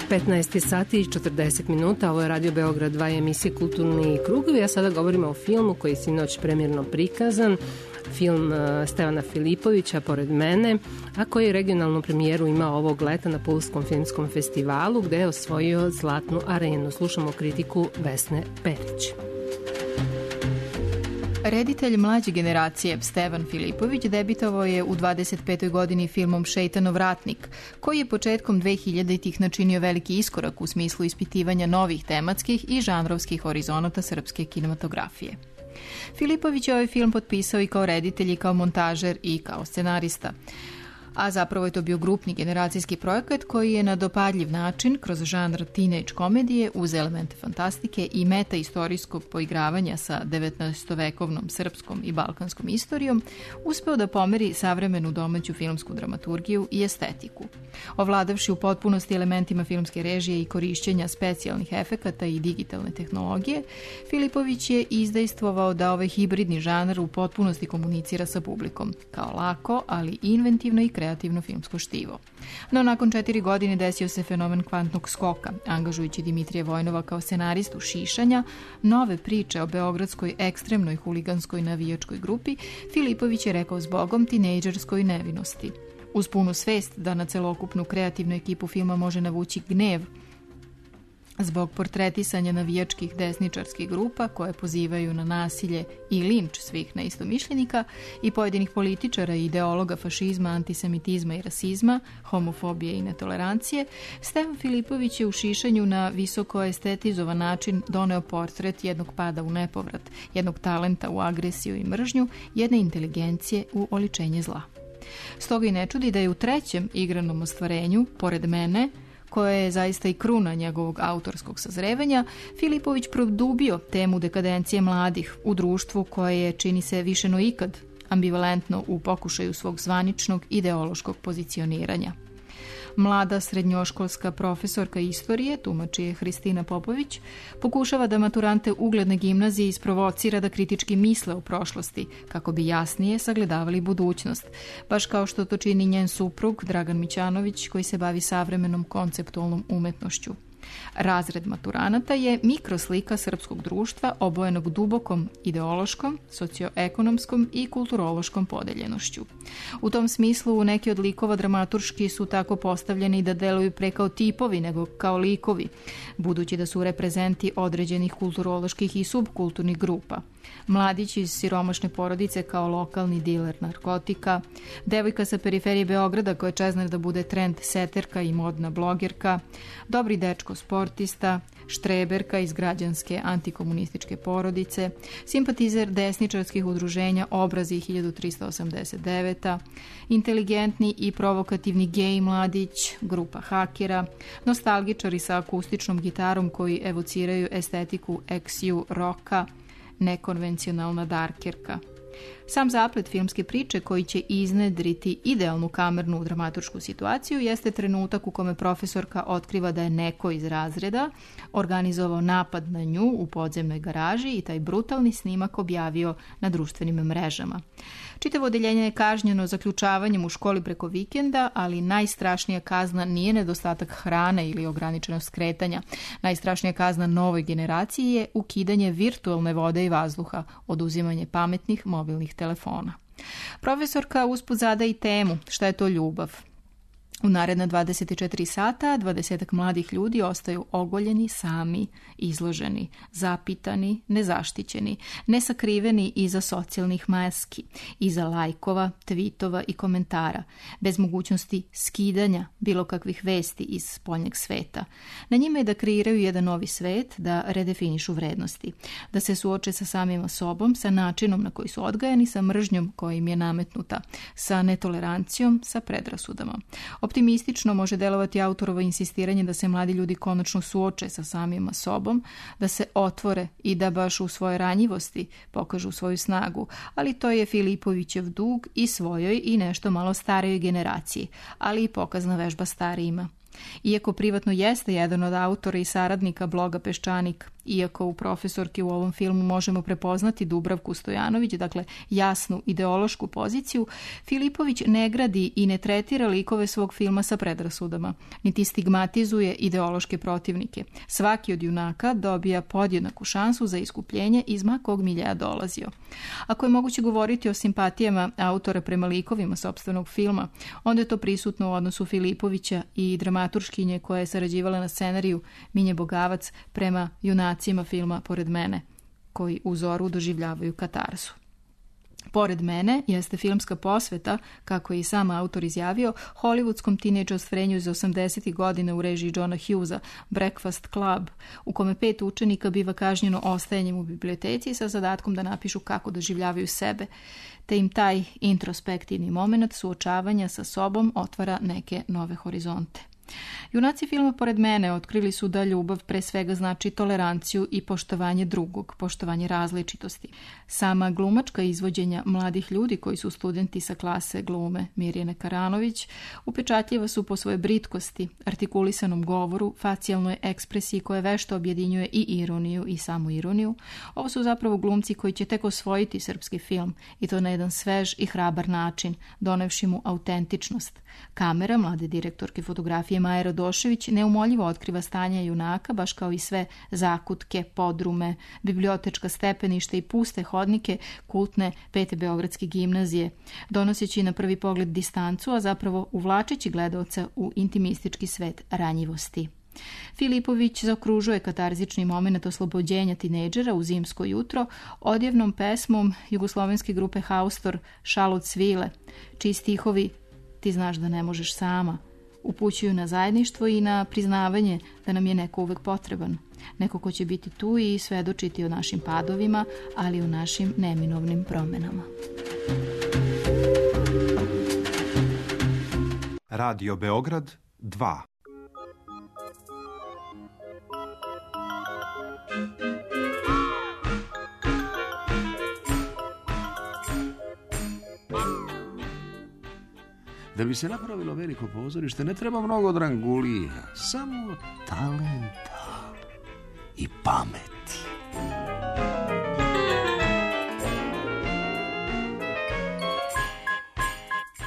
15 sati i 40 minuta, ovo je Radio Beograd 2 emisije Kulturni krugovi, a sada govorimo o filmu koji je sinoć premjerno prikazan, film Stevana Filipovića Pored mene, a koji je regionalnu premijeru imao ovog leta na Pulskom filmskom festivalu gde je osvojio Zlatnu arenu. Slušamo kritiku Vesne Perić. Reditelj mlađe generacije Stevan Filipović debitovao je u 25. godini filmom Šejtanov ratnik, koji je početkom 2000-ih načinio veliki iskorak u smislu ispitivanja novih tematskih i žanrovskih horizonata srpske kinematografije. Filipović je ovaj film potpisao i kao reditelj i kao montažer i kao scenarista. A zapravo je to bio grupni generacijski projekat koji je na dopadljiv način, kroz žanr teenage komedije, uz elemente fantastike i meta-istorijskog poigravanja sa 19-vekovnom srpskom i balkanskom istorijom, uspeo da pomeri savremenu domaću filmsku dramaturgiju i estetiku. Ovladavši u potpunosti elementima filmske režije i korišćenja specijalnih efekata i digitalne tehnologije, Filipović je izdejstvovao da ovaj hibridni žanr u potpunosti komunicira sa publikom, kao lako, ali inventivno i kreativno filmsko štivo. No, nakon 4 godine desio se fenomen kvantnog skoka, angažujući Dimitrija Vojnova kao scenaristu Šišanja, nove priče o beogradskoj ekstremnoj huliganskoj navijačkoj grupi, Filipović je rekao zbogom tinejdžerskoj nevinosti. Uz punu svest da na celokupnu kreativnu ekipu filma može navući gnev zbog portretisanja navijačkih desničarskih grupa koje pozivaju na nasilje i linč svih neistomišljenika i pojedinih političara i ideologa fašizma, antisemitizma i rasizma, homofobije i netolerancije, Stevan Filipović je u Šišanju na visoko estetizovan način doneo portret jednog pada u nepovrat, jednog talenta u agresiju i mržnju, jedne inteligencije u oličenje zla. Stoga i ne čudi da je u trećem igranom ostvarenju, Pored mene, koje je zaista i kruna njegovog autorskog sazrevanja, Filipović produbio temu dekadencije mladih u društvu koje je, čini se više no ikad, ambivalentno u pokušaju svog zvaničnog ideološkog pozicioniranja. Mlada srednjoškolska profesorka istorije, tumači je Hristina Popović, pokušava da maturante ugledne gimnazije isprovocira da kritički misle o prošlosti, kako bi jasnije sagledavali budućnost, baš kao što to čini njen suprug Dragan Mićanović, koji se bavi savremenom konceptualnom umetnošću. Razred maturanata je mikroslika srpskog društva obojenog dubokom ideološkom, socioekonomskom i kulturološkom podeljenošću. U tom smislu neki od likova dramaturški su tako postavljeni da deluju pre kao tipovi nego kao likovi, budući da su reprezenti određenih kulturoloških i subkulturnih grupa. Mladić iz siromašne porodice kao lokalni diler narkotika, devojka sa periferije Beograda koja čezne da bude trend seterka i modna blogerka, dobri dečko sportista, štreberka iz građanske antikomunističke porodice, simpatizer desničarskih udruženja Obrazi 1389, inteligentni i provokativni gej mladić, grupa hakera, nostalgičari sa akustičnom gitarom koji evociraju estetiku XU roka, nekonvencionalna darkerka. Sam zaplet filmske priče koji će iznedriti idealnu kamernu dramaturšku situaciju jeste trenutak u kome profesorka otkriva da je neko iz razreda organizovao napad na nju u podzemnoj garaži i taj brutalni snimak objavio na društvenim mrežama. Čitavo odeljenje je kažnjeno zaključavanjem u školi preko vikenda, ali najstrašnija kazna nije nedostatak hrane ili ograničenost kretanja. Najstrašnija kazna novoj generaciji je ukidanje virtualne vode i vazduha, oduzimanje pametnih mobilnih telefona. Profesorka usput zada i temu šta je to ljubav. U naredna 24 sata 20 mladih ljudi ostaju ogoljeni, sami, izloženi, zapitani, nezaštićeni, nesakriveni iza socijalnih maski, iza lajkova, tvitova i komentara, bez mogućnosti skidanja bilo kakvih vesti iz spoljnjeg sveta. Na njima je da kreiraju jedan novi svet, da redefinišu vrednosti, da se suoče sa samima sobom, sa načinom na koji su odgajani, sa mržnjom koja im je nametnuta, sa netolerancijom, sa predrasudama. Optimistično može delovati autorovo insistiranje da se mladi ljudi konačno suoče sa samima sobom, da se otvore i da baš u svojoj ranjivosti pokažu svoju snagu, ali to je Filipovićev dug i svojoj i nešto malo starijoj generaciji, ali i pokazna vežba starijima. Iako privatno jeste jedan od autora i saradnika bloga Peščanik, iako u profesorki u ovom filmu možemo prepoznati Dubravku Stojanović, dakle jasnu ideološku poziciju, Filipović ne gradi i ne tretira likove svog filma sa predrasudama, niti stigmatizuje ideološke protivnike. Svaki od junaka dobija podjednaku šansu za iskupljenje iz ma kog miljeja dolazio. Ako je moguće govoriti o simpatijama autora prema likovima sopstvenog filma, onda je to prisutno u odnosu Filipovića i dramaturškinje koja je sarađivala na scenariju Minje Bogavac prema junacima filma Pored mene, koji u Zoru doživljavaju katarzu. Pored mene jeste filmska posveta, kako je i sam autor izjavio, hollywoodskom tinejdž ostvarenju iz 80. godina u režiji Johna Hughesa, Breakfast Club, u kome 5 učenika biva kažnjeno ostajanjem u biblioteci sa zadatkom da napišu kako doživljavaju sebe, te im taj introspektivni moment suočavanja sa sobom otvara neke nove horizonte. Junaci filma Pored mene otkrili su da ljubav pre svega znači toleranciju i poštovanje drugog, poštovanje različitosti. Sama glumačka izvođenja mladih ljudi koji su studenti sa klase glume Mirjane Karanović upečatljiva su po svojoj britkosti, artikulisanom govoru, facijalnoj ekspresiji koja vešto objedinjuje i ironiju i samu ironiju. Ovo su zapravo glumci koji će tek osvojiti srpski film i to na jedan svež i hrabar način, donevši mu autentičnost. Kamera mlade direktorke fotografije Maje Radošević neumoljivo otkriva stanje junaka, baš kao i sve zakutke, podrume, bibliotečka stepeništa i puste hodnike kultne 5. Beogradske gimnazije, donoseći na prvi pogled distancu, a zapravo uvlačeći gledaoca u intimistički svet ranjivosti. Filipović zaokružuje katarzični moment oslobođenja tinejdžera u zimsko jutro odjevnom pesmom jugoslovenske grupe Haustor Šalot svile, čiji stihovi Ti znaš da ne možeš sama upućuju na zajedništvo i na priznavanje da nam je neko uvek potreban. Neko ko će biti tu i svedočiti o našim padovima, ali i o našim neminovnim promenama. Radio Beograd 2. Da bi se napravilo veliko pozorište, ne treba mnogo drangulija, samo talenta i pameti.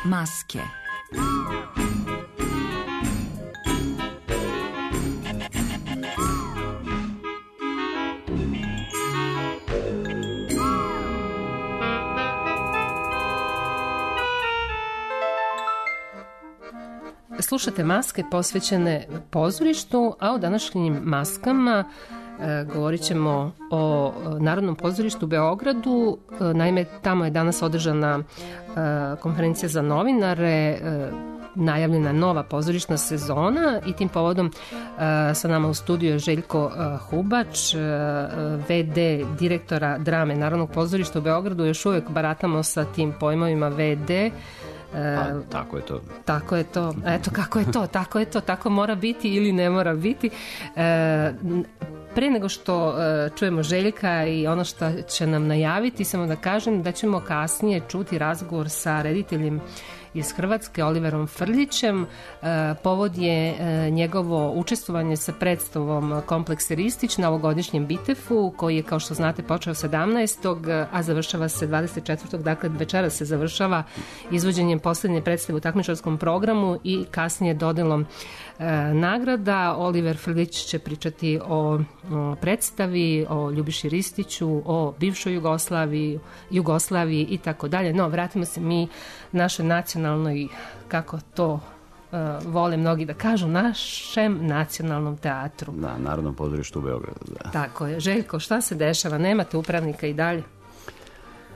Maske. Slušate Maske posvećene pozorištu, a u današnjim maskama govorit ćemo o Narodnom pozorištu u Beogradu. Naime, tamo je danas održana konferencija za novinare, najavljena nova pozorišna sezona i tim povodom sa nama u studiju je Željko Hubač, VD direktora drame Narodnog pozorišta u Beogradu. Još uvijek baratamo sa tim pojmovima VD. Tako je to. Tako je to. Eto kako je to. Tako je to. Tako mora biti ili ne mora biti. Pre nego što čujemo Željka i ono što će nam najaviti, samo da kažem da ćemo kasnije čuti razgovor sa rediteljem iz Hrvatske, Oliverom Frljićem. Povod je njegovo učestvovanje sa predstavom Kompleks Ristić na ovogodišnjem Bitefu, koji je, kao što znate, počeo 17. a završava se 24. Dakle, večera se završava izvođenjem posljednje predstave u takmičarskom programu i kasnije dodelom nagrada. Oliver Frljić će pričati o predstavi, o Ljubiši Ristiću, o bivšoj Jugoslaviji i tako dalje. No, vratimo se mi našoj nacionalnoj, kako to vole mnogi da kažu, našem nacionalnom teatru. Na Narodnom pozorištu u Beogradu, da. Tako je. Željko, šta se dešava? Nemate upravnika i dalje?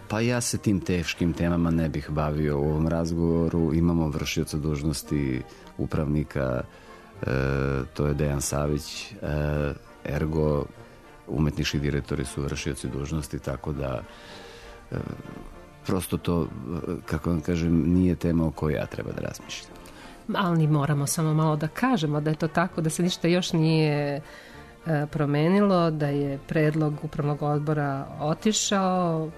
Pa ja se tim teškim temama ne bih bavio u ovom razgovoru. Imamo vršioca dužnosti upravnika, to je Dejan Savić, ergo umetnički direktori su vršioci dužnosti, tako da prosto to, kako vam kažem, nije tema o kojoj ja treba da razmišljam. Ali moramo samo malo da kažemo da je to tako, da se ništa još nije promenilo, da je predlog upravnog odbora otišao,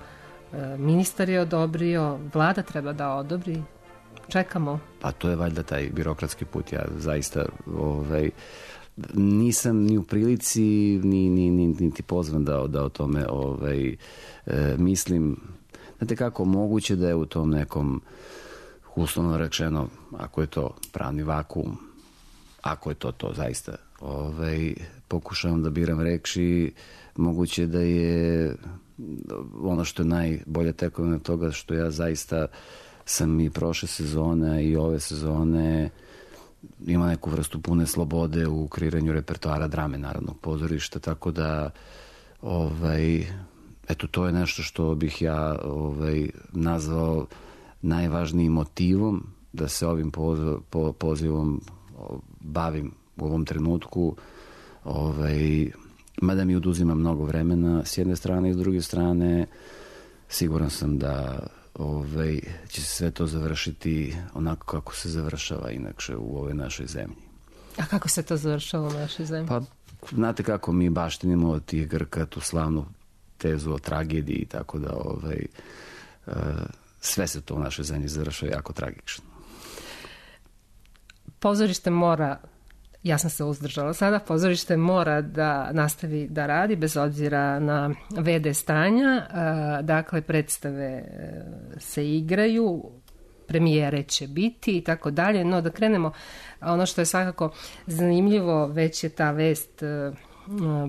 ministar je odobrio, vlada treba da odobri. čekamo? Pa to je valjda taj birokratski put. Ja zaista nisam ni u prilici niti pozvan da o tome mislim. Znate kako, moguće da je u tom nekom, uslovno rečeno, ako je to pravni vakuum, ako je to zaista, pokušavam da biram reči, moguće da je ono što je najbolja tekovina toga što ja zaista sam i prošle sezone i ove sezone ima neku vrstu pune slobode u kreiranju repertoara drame Narodnog pozorišta, tako da eto, to je nešto što bih ja nazvao najvažnijim motivom da se ovim pozivom bavim u ovom trenutku, mada mi oduzima mnogo vremena s jedne strane i s druge strane siguran sam da će se sve to završiti onako kako se završava inače u ovoj našoj zemlji. A kako se to završava u našoj zemlji? Pa, znate kako mi baštinimo od tih Grka tu slavnu tezu o tragediji, tako da sve se to u našoj zemlji završava jako tragično. Pozorište mora, ja sam se uzdržala sada, pozorište mora da nastavi da radi bez obzira na VD stanja, dakle predstave se igraju, premijere će biti i tako dalje, no da krenemo, ono što je svakako zanimljivo, već je ta vest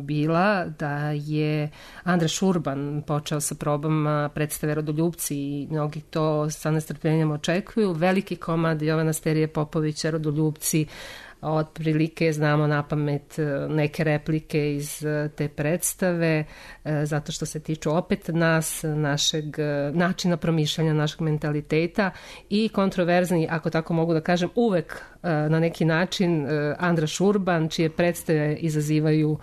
bila da je Andra Šurban počeo sa probama predstave Rodoljupci i mnogi to sa nestrpljenjem očekuju. Veliki komad Jovana Sterije Popovića Rodoljupci, otprilike znamo na pamet neke replike iz te predstave, zato što se tiču opet nas, našeg načina promišljanja, našeg mentaliteta i kontroverzni, ako tako mogu da kažem, uvek na neki način Andra Šurban, čije predstave izazivaju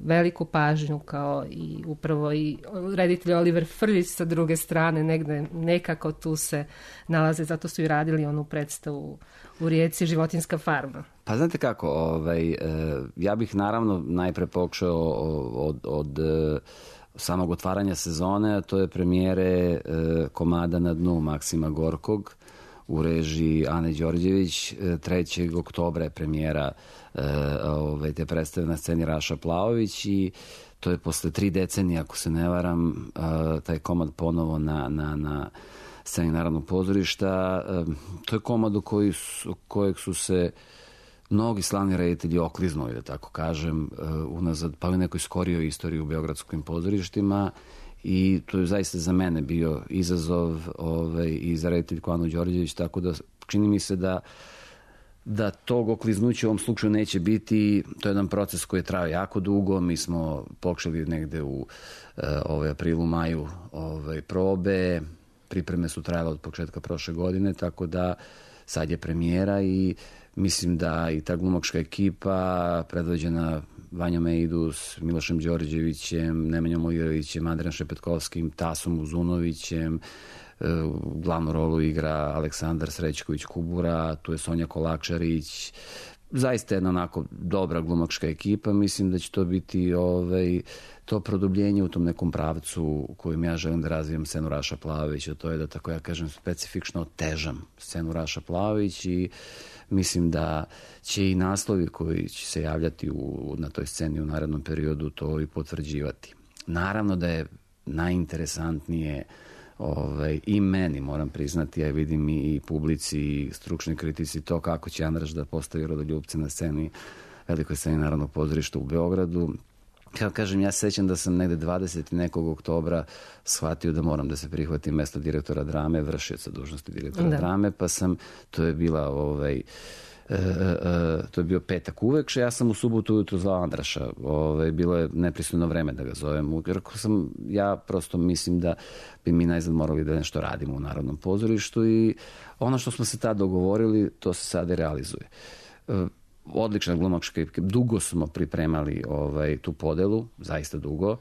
veliku pažnju, kao i upravo i reditelj Oliver Frljić sa druge strane, negde nekako tu se nalaze, zato su i radili onu predstavu u Rijeci Životinjska farma. Pa znate kako, ja bih naravno najpre pokušao od samog otvaranja sezone, a to je premijere komada Na dnu Maksima Gorkog u režiji Ane Đorđević. 3. oktobra je premijera te predstave na sceni Raša Plaović i to je posle 3 decenije, ako se ne varam, taj komad ponovo na sceni Narodnog pozorišta. To je komad u kojeg su se mnogi slavni reditelji okliznuli, da tako kažem, unazad, pa u nekoj skorijoj istoriji u beogradskim pozorištima, i to je zaista za mene bio izazov i za rediteljku Anu Đorđević, tako da čini mi se da tog okliznuća u ovom slučaju neće biti. To je jedan proces koji je trajao jako dugo. Mi smo počeli negde u aprilu, maju probe. Pripreme su trajale od početka prošle godine, tako da sad je premijera i mislim da i ta glumačka ekipa predvođena Vanjom Eidus, Milošem Đorđevićem, Nemanjom Olirovićem, Andrejem Šepetkovskim, Tasom Uzunovićem, glavnu rolu igra Aleksandar Srećković Kubura, tu je Sonja Kolačarić, zaista jedna onako dobra glumačka ekipa. Mislim da će to biti to produbljenje u tom nekom pravcu u kojem ja želim da razvijem scenu Raša Plaovića, to je da, tako ja kažem, specifično otežam scenu Raša Plaović i mislim da će i naslovi koji će se javljati na toj sceni u narednom periodu to i potvrđivati. Naravno da je najinteresantnije i meni, moram priznati, ja vidim i publici i stručni kritici, to kako će Andraš da postavi Rodoljupce na sceni, velikoj sceni Narodnog pozorišta u Beogradu. Kao kažem, ja se sećam da sam negde 20. nekog oktobra shvatio da moram da se prihvatim mesto direktora drame, vršioca dužnosti direktora drame, pa to je bio petak uvekše, ja sam u subotu ujutru zvao Andraša, bilo je nepristojno vreme da ga zovem, jer ja prosto mislim da bi mi najzad morali da nešto radimo u Narodnom pozorištu i ono što smo se tad dogovorili, to se sad i realizuje. Odlična glumačka ekipa, dugo smo pripremali tu podelu, zaista dugo.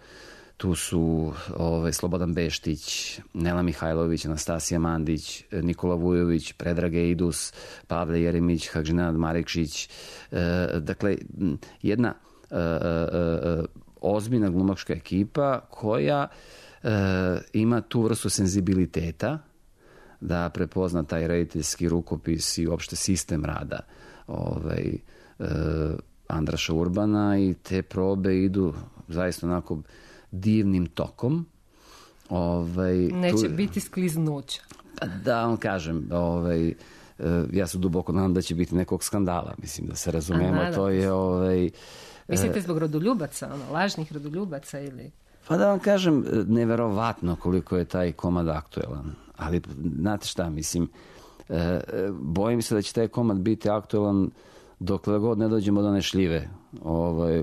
Tu su Slobodan Beštić, Nela Mihajlović, Anastasija Mandić, Nikola Vujović, Predrag Eidus, Pavle Jeremić, Hadžinad Marekšić. Dakle, jedna ozbiljna glumačka ekipa koja ima tu vrstu senzibiliteta da prepozna taj rediteljski rukopis i uopšte sistem rada Andraša Urbana i te probe idu zaista onako divnim tokom. Neće biti skliznuća. Da vam kažem, ja se duboko nadam da će biti nekog skandala, mislim da se razumemo, to je mislite zbog rodoljubaca, lažnih rodoljubaca ili... Pa da vam kažem, neverovatno koliko je taj komad aktuelan, ali znate šta, mislim, bojim se da će taj komad biti aktuelan dokle god ne dođemo do one šljive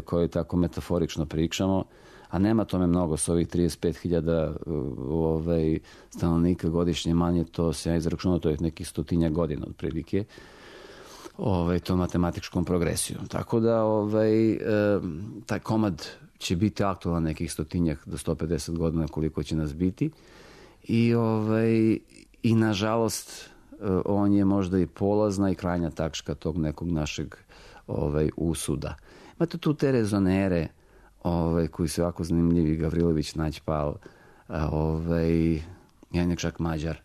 koje tako metaforično pričamo, a nema tome mnogo s ovih 35.000 stanovnika godišnje manje, to se ja izračunao, to je nekih 100 godina otprilike, to matematičkom progresijom. Tako da taj komad će biti aktualan nekih 100 do 150 godina koliko će nas biti i nažalost on je možda i polazna i krajnja tačka tog nekog našeg usuda. Imate tu te rezonere koji su jako zanimljivi, Gavrilović, Nađpal, jedan čak Mađar.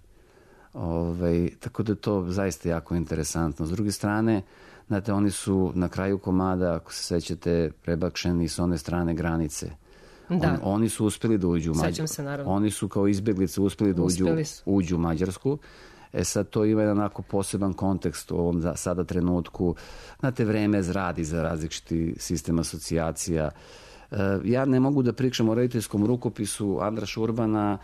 Tako da je to zaista jako interesantno. S druge strane, znate, oni su na kraju komada, ako se sećate, prebakšeni s one strane granice. Oni su uspeli da uđu u Mađarsku. Oni su kao izbjeglice uspeli da uđu u Mađarsku. Sad to ima jedan onako poseban kontekst u ovom sada trenutku. Znate, vreme zradi za različiti sistem asocijacija. Ja ne mogu da pričam o rediteljskom rukopisu Andraša Urbana,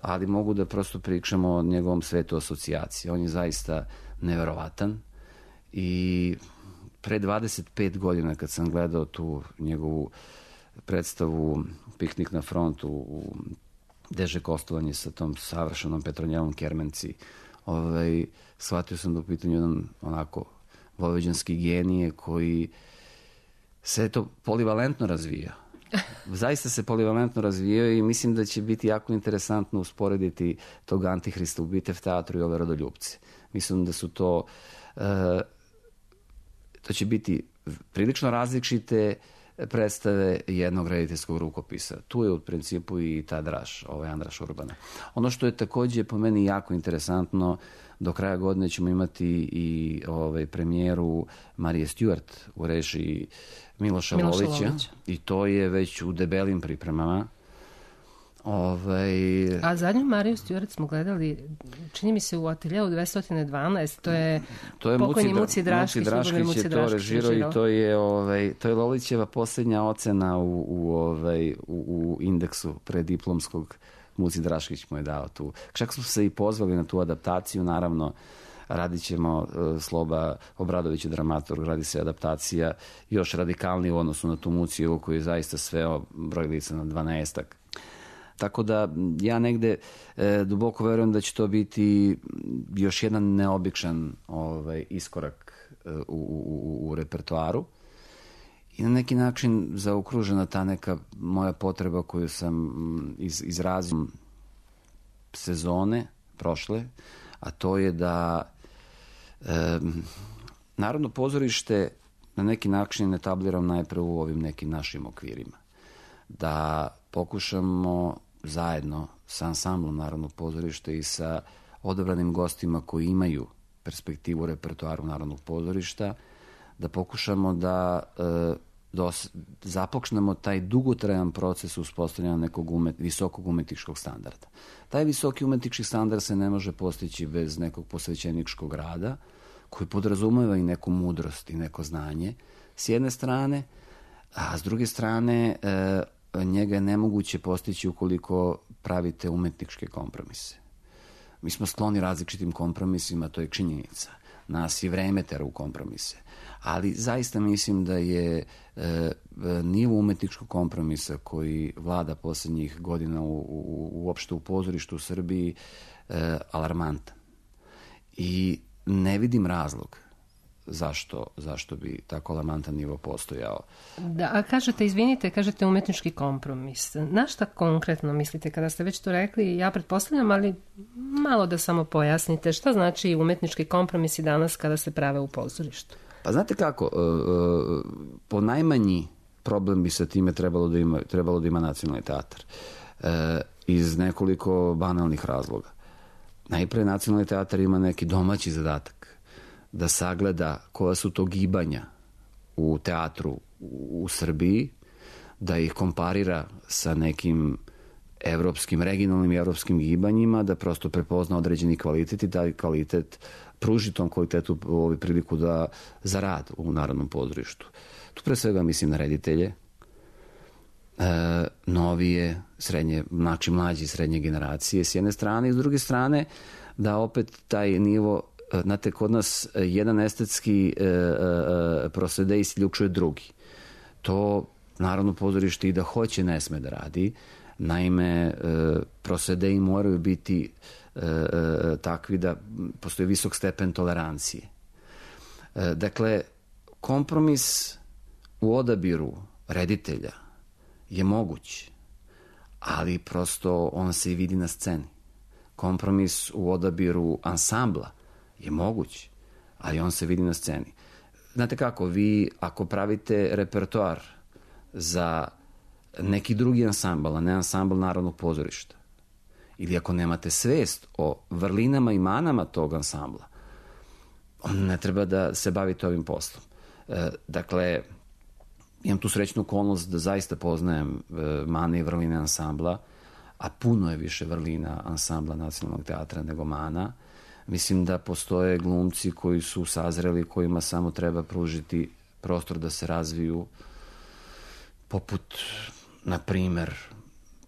ali mogu da prosto pričam o njegovom svetu asocijacije. On je zaista neverovatan i pre 25 godina kad sam gledao tu njegovu predstavu Piknik na frontu u Deže Kostovanje sa tom savršenom Petronjelom Kermenci, shvatio sam da u pitanju jedan onako vojvođanski genije koji se to polivalentno razvija. Zaista se polivalentno razvijao i mislim da će biti jako interesantno usporediti tog Antihrista u Bitev teatru i ove Rodoljupce. Mislim da su to će biti prilično različite predstave jednog rediteljskog rukopisa. Tu je u principu i ta draž, Andraš Urbana. Ono što je takođe po meni jako interesantno, do kraja godine ćemo imati i premijeru Marije Stewart u režiji Miloša Lolića i to je već u debelim pripremama. A zadnju Mariju Stewart smo gledali, čini mi se u ateljeu 212, to je pokojni Muci Draškić je to režirao i to je Lolićeva posljednja ocena u indeksu prediplomskog. Muci Draškić mu je dao tu. Čak smo se i pozvali na tu adaptaciju, naravno radit ćemo, Sloba Obradović je dramaturg, radi se adaptacija još radikalnije u odnosu na tu Mucijevu koji je zaista sveo broj lica na 12-ak. Tako da ja negde duboko verujem da će to biti još jedan neobičan iskorak u repertoaru i na neki način zaokružena ta neka moja potreba koju sam izrazio sezone prošle, a to je da Narodno pozorište na neki način etabliram najpre u ovim nekim našim okvirima. Da pokušamo zajedno sa ansamblom Narodnog pozorišta i sa odabranim gostima koji imaju perspektivu u repertoaru Narodnog pozorišta, da pokušamo da započnemo taj dugotrajan proces uspostavljanja nekog visokog umetničkog standarda. Taj visoki umetnički standard se ne može postići bez nekog posvećeničkog rada, koji podrazumeva i neku mudrost i neko znanje, s jedne strane, a s druge strane njega je nemoguće postići ukoliko pravite umetničke kompromise. Mi smo skloni različitim kompromisima, to je činjenica. Nas i vreme tera u kompromise. Ali zaista mislim da je nivo umetničkog kompromisa koji vlada poslednjih godina uopšte u pozorištu u Srbiji alarmantan. I ne vidim razlog zašto bi tako alarmantan nivo postojao. Da, a kažete umetnički kompromis. Na šta konkretno mislite kada ste već to rekli? Ja pretpostavljam, ali malo da samo pojasnite. Šta znači umetnički kompromisi danas kada se prave u pozorištu? Pa znate kako, po najmanji problem bi sa time trebalo da ima Nacionalni teatar. Iz nekoliko banalnih razloga. najpre Nacionalni teatar ima neki domaći zadatak da sagleda koja su to gibanja u teatru u Srbiji, da ih komparira sa nekim evropskim, regionalnim i evropskim gibanjima, da prosto prepozna određeni kvalitet i taj kvalitet pruži tom kvalitetu priliku za rad u Narodnom pozorištu. Tu pre svega mislim na reditelje, novije, srednje, znači mlađe i srednje generacije s jedne strane i s druge strane da opet taj nivo, znate, kod nas jedan estetski procede isključuje drugi. To Narodno pozorište i da hoće ne sme da radi. Naime, procedeji moraju biti takvi da postoji visok stepen tolerancije. Dakle, kompromis u odabiru reditelja je moguć, ali prosto on se i vidi na sceni. Kompromis u odabiru ansambla je moguć, ali on se vidi na sceni. Znate kako, vi ako pravite repertoar za neki drugi ansambl, a ne ansambl Narodnog pozorišta, ili ako nemate svest o vrlinama i manama tog ansambla, on ne treba da se bavite ovim poslom. Dakle, imam tu srećnu okolnost da zaista poznajem mane i vrline ansambla, a puno je više vrlina ansambla Nacionalnog teatra nego mana. Mislim da postoje glumci koji su sazreli, kojima samo treba pružiti prostor da se razviju, poput, na primer,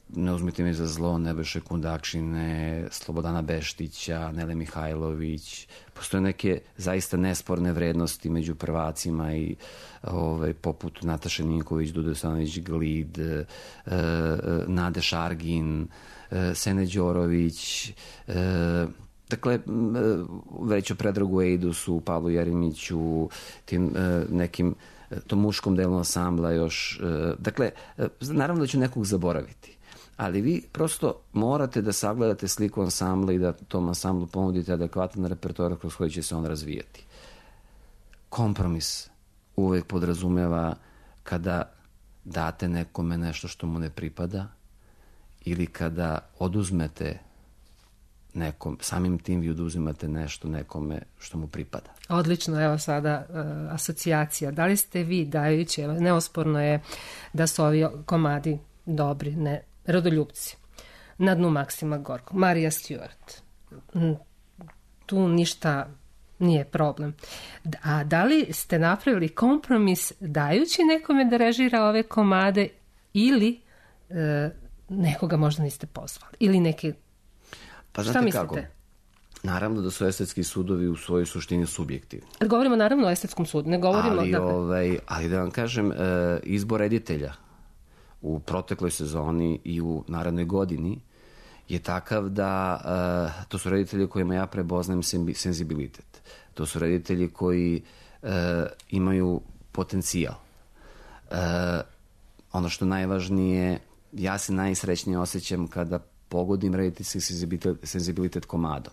ne uzmite mi za zlo, Nebojše Kundakšine, Slobodana Beštića, Nele Mihajlović. Postoje neke zaista nesporne vrednosti među prvacima i poput Nataše Ninković, Dude Stanović Glid, Nade Šargin, Sene Đorović, dakle, već o Predragu Ejdusu, Pavlu Jeremiću, tim nekim tom muškom delu ansambla još. Dakle, naravno da ću nekog zaboraviti, ali vi prosto morate da sagledate sliku ansambla i da tom ansamblu ponudite adekvatan repertoar kroz koji će se on razvijati. Kompromis uvek podrazumeva kada date nekome nešto što mu ne pripada ili kada oduzmete nekom, samim tim vi oduzimate nešto nekome što mu pripada. Odlično, evo sada asocijacija. Da li ste vi dajući, neosporno je da su ovi komadi dobri, ne, Rodoljupci, Na dnu Maksima Gorkog, Marija Stewart. Tu ništa nije problem. A da li ste napravili kompromis dajući nekome da režira ove komade ili nekoga možda niste pozvali? Ili neke... Pa šta mislite? Kako? Naravno da su estetski sudovi u svojoj suštini subjektivni. Govorimo naravno o estetskom sudu, ne govorimo... Ali da vam kažem, izbor reditelja u protekloj sezoni i u narednoj godini je takav da to su reditelji kojima ja prepoznajem senzibilitet. To su reditelji koji imaju potencijal. Ono što najvažnije, ja se najsrećnije osjećam kada pogodim rediteljski senzibilitet komadom.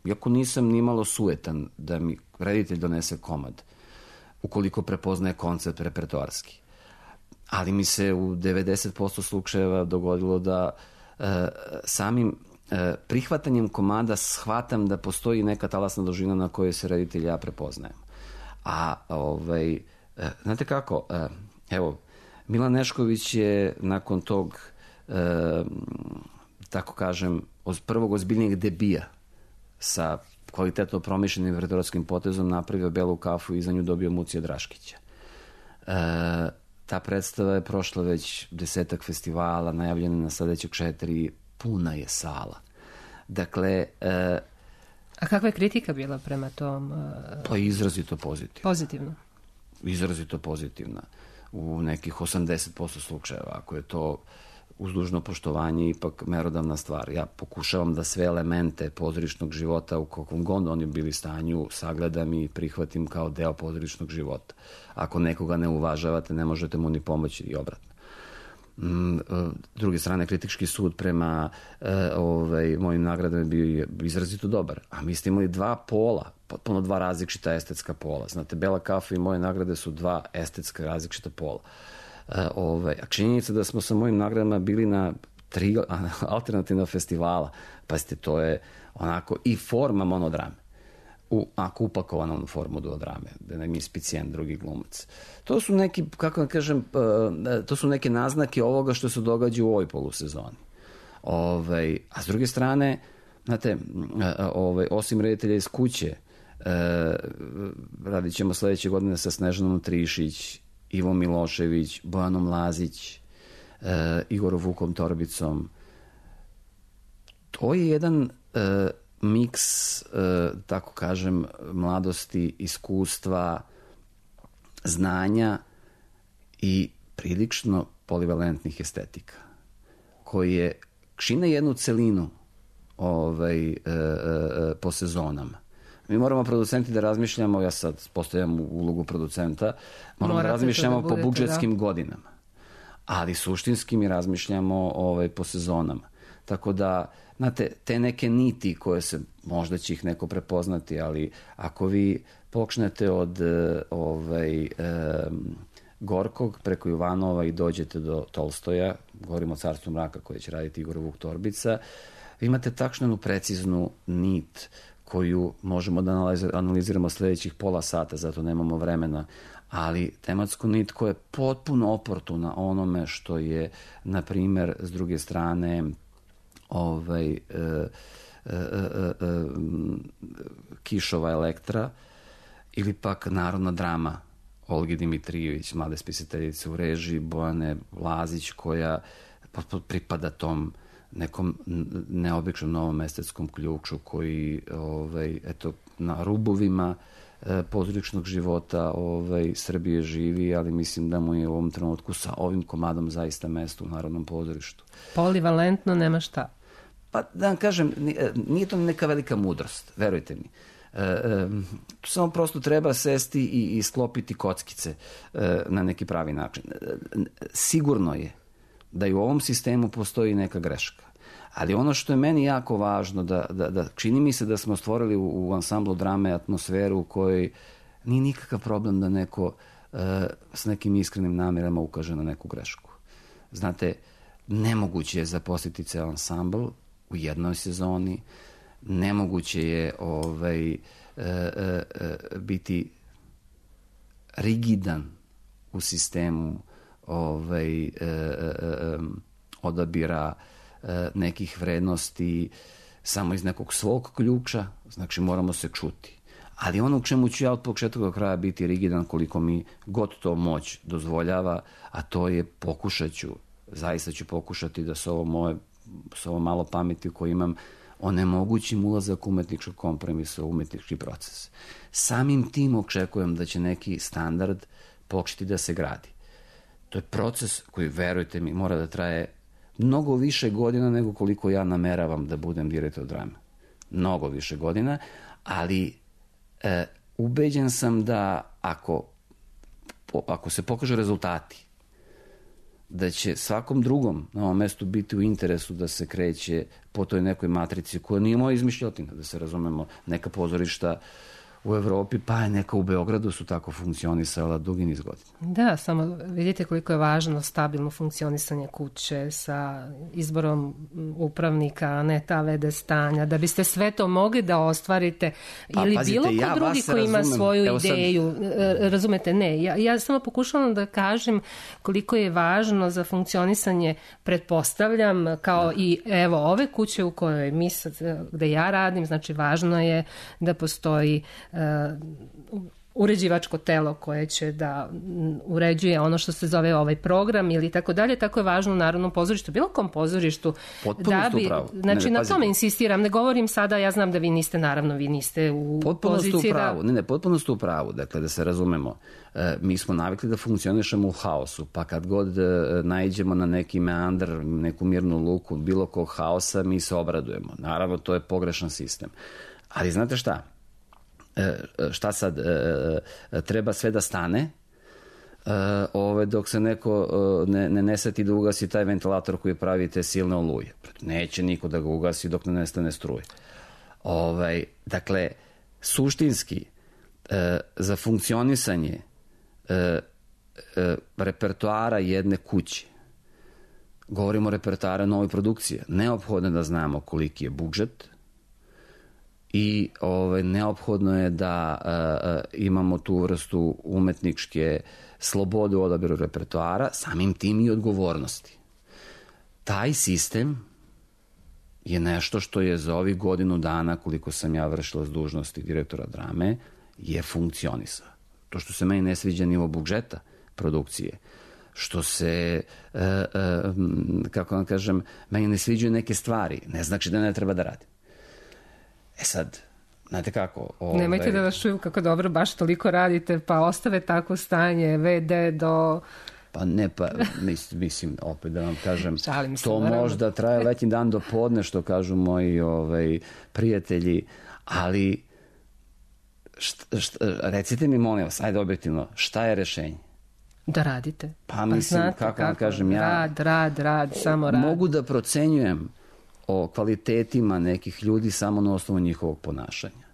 Iako nisam nimalo sujetan da mi reditelj donese komad, ukoliko prepoznaje koncept repertoarski. Ali mi se u 90% slučajeva dogodilo da samim prihvatanjem komada shvatam da postoji neka talasna dužina na kojoj se reditelj ja prepoznajem. A znate kako, evo, Milan Nešković je nakon tog, tako kažem, prvog ozbiljnijeg debija sa kvalitetno promišljenim repertoarskim potezom napravio Belu kafu i za nju dobio Mucija Draškića. Ta predstava je prošla već 10 festivala, najavljena na sledećeg 4, puna je sala. Dakle... A kakva je kritika bila prema tom? Pa izrazito pozitivna. Pozitivno? Izrazito pozitivna. U nekih 80% slučajeva, ako je to uz dužno poštovanje ipak merodavna stvar. Ja pokušavam da sve elemente pozorišnog života u kakvom god oni bili stanju sagledam i prihvatim kao deo pozorišnog života. Ako nekoga ne uvažavate, ne možete mu ni pomoći i obratno. Druge strane, kritički sud prema mojim nagradama je bio izrazito dobar. A mi ste imali 2 pola, potpuno 2 različita estetska pola. Znate, Bela kafa i moje nagrade su 2 estetska različita pola. A činjenica da smo sa mojim nagradama bili na 3 alternativna festivala. Pazite, to je onako i forma monodrame. Ako upakovana u formu duodrame, da nam je inspicijen drugi glumac. To su neki, kako da kažem, to su neke naznake ovoga što se događa u ovoj polusezoni. A s druge strane, znate, osim reditelja iz kuće, radit ćemo sledeće godine sa Snežanom Trišić, Ivom Milošević, Bojanom Lazić, Igorom Vukom Torbicom. To je jedan miks, tako kažem, mladosti, iskustva, znanja i prilično polivalentnih estetika, koje čine jednu celinu po sezonama. Mi moramo producenti da razmišljamo, ja sad postavljam ulogu producenta, moramo da razmišljamo po budžetskim godinama, ali suštinski mi razmišljamo po sezonama. Tako da, znate, te neke niti koje se, možda će ih neko prepoznati, ali ako vi počnete od Gorkog preko Ivanova i dođete do Tolstoja, govorimo o Carstvu mraka koje će raditi Igor Vuk Torbica, vi imate tačnu preciznu nit koju možemo da analiziramo sledećih pola sata, zato nemamo vremena, ali tematsku nit koja je potpuno oportuna onome što je, na primer, s druge strane, Kišova Elektra ili pak narodna drama Olgi Dimitrijević, mlade spisateljice u režiji, Bojane Lazić, koja pripada tom nekom neobičnom novom estetskom ključu koji na rubovima pozorišnog života Srbije živi, ali mislim da mu je u ovom trenutku sa ovim komadom zaista mesto u Narodnom pozorištu. Polivalentno nema šta. Pa da vam kažem, nije to neka velika mudrost, verujte mi. Tu samo prosto treba sesti i sklopiti kockice na neki pravi način. Sigurno je da i u ovom sistemu postoji neka greška. Ali ono što je meni jako važno, da čini mi se da smo stvorili u ansamblu drame atmosferu u kojoj nije nikakav problem da neko s nekim iskrenim namjerama ukaže na neku grešku. Znate, nemoguće je zaposliti ceo ansambl u jednoj sezoni, nemoguće je biti rigidan u sistemu odabira nekih vrednosti samo iz nekog svog ključa, znači moramo se čuti. Ali ono u čemu ću ja od početka do kraja biti rigidan koliko mi god to moć dozvoljava, a to je zaista ću pokušati da s ovo malo pameti koje imam onemogućim ulazak umetničkog kompromisa u umetnički proces. Samim tim očekujem da će neki standard početi da se gradi. To je proces koji, verujte mi, mora da traje mnogo više godina nego koliko ja nameravam da budem direktor drame. Mnogo više godina, ali ubeđen sam da ako se pokažu rezultati, da će svakom drugom na ovom mestu biti u interesu da se kreće po toj nekoj matrici koja nije moja izmišljotina, da se razumemo, neka pozorišta u Evropi, pa neka u Beogradu su tako funkcionisala dugi niz godina. Da, samo vidite koliko je važno stabilno funkcionisanje kuće sa izborom upravnika, a ne ta vede stanja, da biste sve to mogli da ostvarite ili pazite, bilo ko drugi koji ima svoju ideju. Razumete, ne. Ja samo pokušavam da kažem koliko je važno za funkcionisanje, pretpostavljam, kao i evo ove kuće u kojoj mi sad, gde ja radim, znači važno je da postoji uređivačko telo koje će da uređuje ono što se zove ovaj program ili tako dalje, tako je važno u Narodnom pozorištu, bilo kom pozorištu. Potpuno ste u pravu. Znači, na tome insistiram, ne govorim sada, ja znam da vi niste, naravno, vi niste u poziciji da... Potpuno ste u pravu, dakle, da se razumemo. Mi smo navikli da funkcionišemo u haosu, pa kad god naiđemo na neki meandar, neku mirnu luku, bilo kog haosa, mi se obradujemo. Naravno, to je pogrešan sistem. Ali znate šta? Šta sad, treba sve da stane dok se neko ne seti da ugasi taj ventilator koji pravi te silne oluje. Neće niko da ga ugasi dok ne nestane struje. Dakle, suštinski za funkcionisanje repertoara jedne kuće govorimo o repertoaru nove produkcije. Neophodno je da znamo koliki je budžet i neophodno je da imamo tu vrstu umetničke slobode u odabiru repertoara, samim tim i odgovornosti. Taj sistem je nešto što je za ovih godinu dana, koliko sam ja vršila s dužnosti direktora drame, je funkcionisao. To što se meni ne sviđa nivo budžeta produkcije, što se, kako vam kažem, meni ne sviđaju neke stvari, ne znači da ne treba da radim. Sad, znate kako... Nemojte da vas čuju kako dobro baš toliko radite, pa ostave takvo stanje, VD do... Pa ne, mislim, opet da vam kažem, to možda traje letnji dan do podne, što kažu moji prijatelji, ali recite mi, molim vas, ajde objektivno, šta je rešenje? Da radite. Pa mislim, kako vam kažem, ja... Rad, samo rad. Mogu da procenjujem o kvalitetima nekih ljudi samo na osnovu njihovog ponašanja.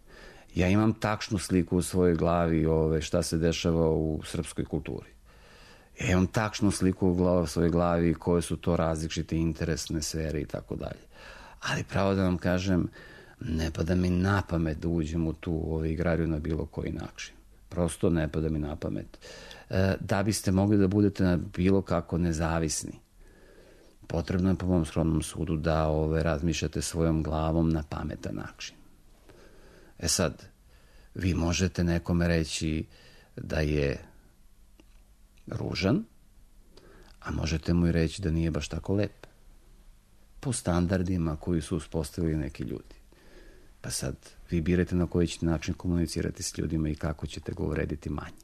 Ja imam tačnu sliku u svojoj glavi šta se dešava u srpskoj kulturi. Ja imam tačnu sliku u svojoj glavi koje su to različite interesne sfere i tako dalje. Ali pravo da vam kažem, ne pada mi na pamet da uđem u tu igrariju na bilo koji način. Prosto ne pada mi na pamet. Da biste mogli da budete na bilo kako nezavisni, potrebno je po mom skromnom sudu da razmišljate svojom glavom na pametan način. Sad, vi možete nekome reći da je ružan, a možete mu i reći da nije baš tako lep. Po standardima koji su uspostavili neki ljudi. Pa sad, vi birate na koji ćete način komunicirati s ljudima i kako ćete ga uvrediti manje.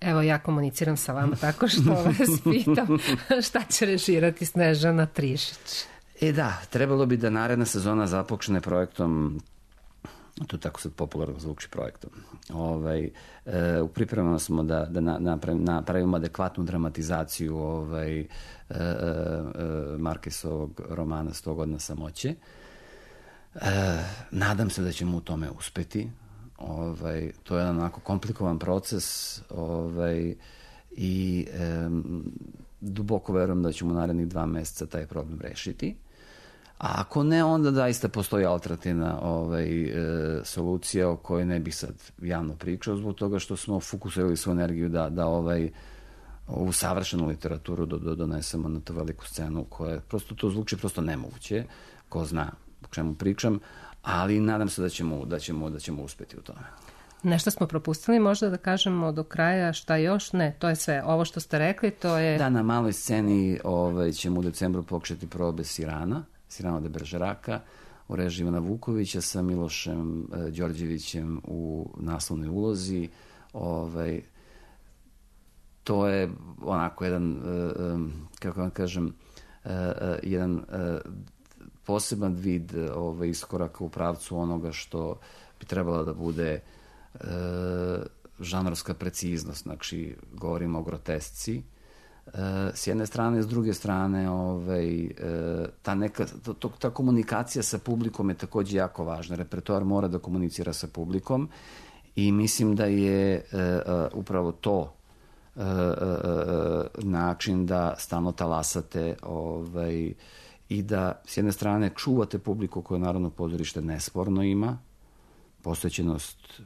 Evo, ja komuniciram sa vama tako što vas pitam šta će režirati Snežana Trišić. Da, trebalo bi da naredna sezona započne projektom, to tako sad popularno zvuči, projektom. U pripremama smo da napravimo adekvatnu dramatizaciju Markesovog romana 100 godina samoće. Nadam se da ćemo u tome uspeti. To je jedan onako komplikovan proces i duboko verujem da ćemo narednih 2 meseca taj problem rešiti. A ako ne, onda daista postoji alternativna solucija o kojoj ne bih sad javno pričao, zbog toga što smo fokusirali svoju energiju da ovu savršenu literaturu donesemo na tu veliku scenu koja prosto to zvuči prosto nemoguće, ko zna o čemu pričam, ali nadam se da ćemo uspeti u tome. Nešto smo propustili, možda da kažemo do kraja šta još? Ne, to je sve. Ovo što ste rekli, to je... Da, na maloj sceni ćemo u decembru početi probe Sirana de Beržeraka u režiji Ivana Vukovića sa Milošem Đorđevićem u naslovnoj ulozi. To je onako jedan, kako vam kažem, jedan poseban vid iskoraka u pravcu onoga što bi trebalo da bude žanrovska preciznost. Znači, govorimo o grotesci s jedne strane, s druge strane ta komunikacija sa publikom je takođe jako važna. Repertoar mora da komunicira sa publikom i mislim da je upravo to način da stalno talasate i da s jedne strane čuvate publiku koju Narodno pozorište nesporno ima. Posvećenost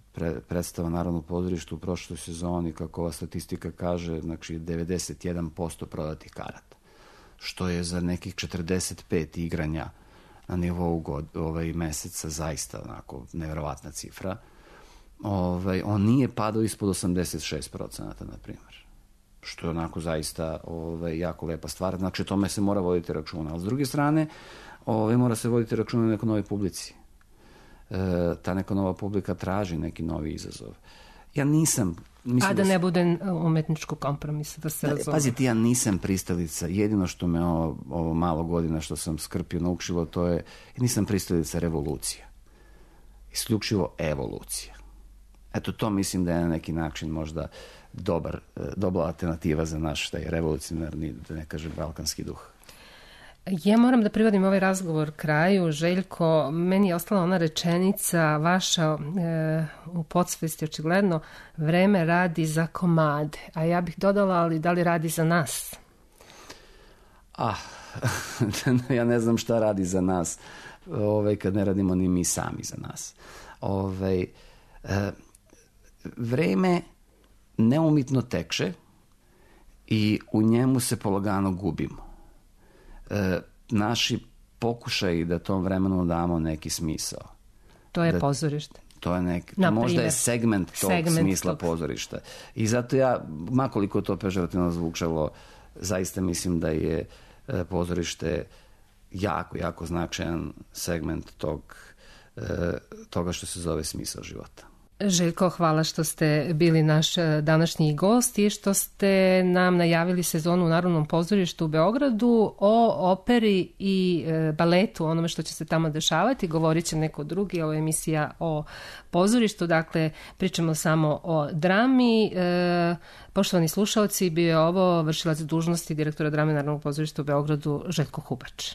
predstava Narodnog pozorišta u prošloj sezoni, kako ova statistika kaže, znači 91% prodatih karata, što je za nekih 45 igranja na nivou meseca zaista onako neverovatna cifra. On nije padao ispod 86%, na primjer, što je onako zaista jako lepa stvar. Znači, tome se mora voditi računa. Ali s druge strane, mora se voditi računa na nekoj novoj publici. Ta neka nova publika traži neki novi izazov. Ja nisam... A da ne bude umetničkog kompromisa, da se razume. Pazite, ja nisam pristalica. Jedino što me ovo malo godina što sam skrpio naučilo, to je, nisam pristalica revolucija. Isključivo evolucija. Eto, to mislim da je na neki način možda dobra alternativa za naš taj revolucionarni, da ne kažem, balkanski duh. Ja moram da privodim ovaj razgovor kraju. Željko, meni je ostala ona rečenica vaša u podsvesti, očigledno, vreme radi za komade. A ja bih dodala, ali da li radi za nas? Ja ne znam šta radi za nas kad ne radimo ni mi sami za nas. Vreme neumitno teče i u njemu se polagano gubimo. Naši pokušaji da tom vremenu damo neki smisao. To je pozorište. To je možda je segment tog smisla pozorišta. I zato ja, makoliko to pežorativno zvučalo, zaista mislim da je pozorište jako, jako značajan segment toga što se zove smisao života. Željko, hvala što ste bili naš današnji gost i što ste nam najavili sezonu u Narodnom pozorištu u Beogradu o operi i baletu, onome što će se tamo dešavati. Govorit će neko drugi, ovo je emisija o pozorištu, dakle pričamo samo o drami. Poštovani slušalci, bio je ovo vršilac dužnosti direktora drame Narodnog pozorišta u Beogradu Željko Hubač.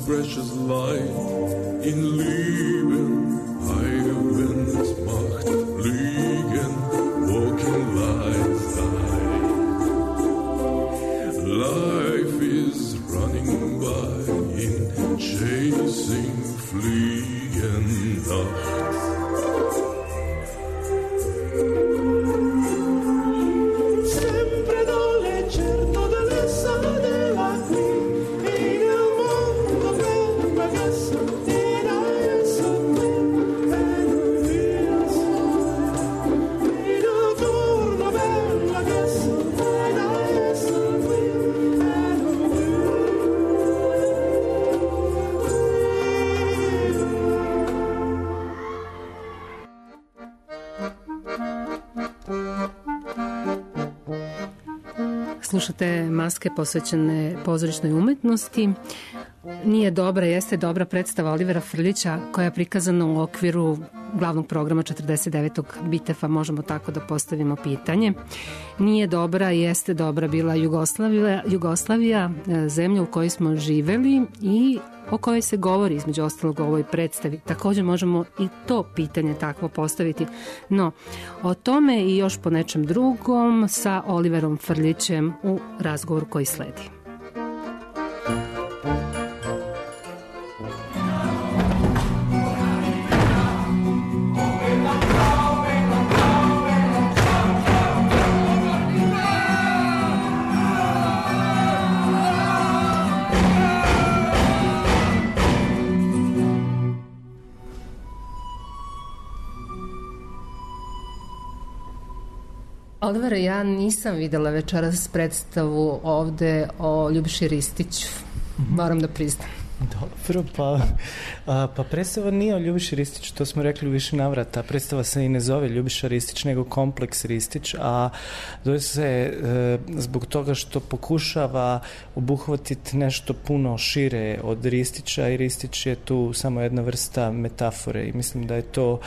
Precious light in Leben, Heilen Macht, Fliegen, walking lights life is running by in chasing, fliegen Nacht. Slušate Maske posvećene pozorišnoj umetnosti. Nije dobra, jeste dobra predstava Olivera Frljića koja je prikazana u okviru glavnog programa 49. Bitefa, možemo tako da postavimo pitanje. Nije dobra, jeste dobra bila Jugoslavija, zemlja u kojoj smo živeli i o kojoj se govori između ostalog u ovoj predstavi. Također možemo i to pitanje takvo postaviti. No, o tome i još po nečem drugom sa Oliverom Frljićem u razgovoru koji sledi. Olivera, ja nisam videla večeras predstavu ovde o Ljubiši Ristiću. Moram da priznam. Dobro, pa predstava nije o Ljubiši Ristiću, to smo rekli u više navrata. Predstava se i ne zove Ljubiša Ristić, nego Kompleks Ristić, a zove se zbog toga što pokušava obuhvatiti nešto puno šire od Ristića i Ristić je tu samo jedna vrsta metafore i mislim da je to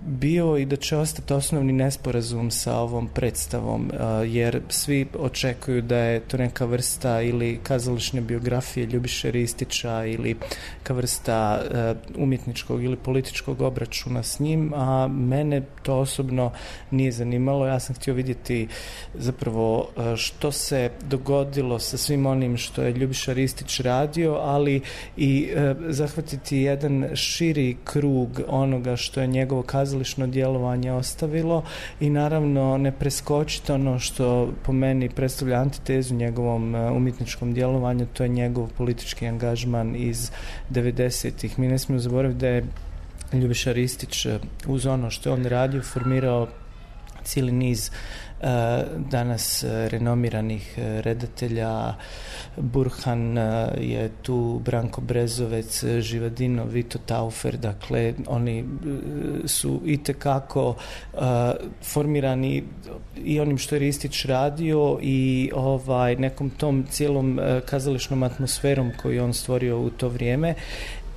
bio i da će ostati osnovni nesporazum sa ovom predstavom, jer svi očekuju da je to neka vrsta ili kazališne biografije Ljubiše Ristića ili neka vrsta umjetničkog ili političkog obračuna s njim, a mene to osobno nije zanimalo. Ja sam htio vidjeti zapravo što se dogodilo sa svim onim što je Ljubiša Ristić radio, ali i zahvatiti jedan širi krug onoga što je njegovo kazališno djelovanje ostavilo i naravno ne preskočiti ono što po meni predstavlja antitezu njegovom umjetničkom djelovanju, to je njegov politički angažman iz 90-ih. Mi ne smijemo zaboraviti da je Ljubiša Ristić uz ono što je on radio formirao cijeli niz danas renomiranih redatelja. Burhan je tu, Branko Brezovec, Živadino, Vito Taufer, dakle oni su itekako formirani i onim što je Ristić radio i nekom tom cijelom kazališnom atmosferom koju on stvorio u to vrijeme.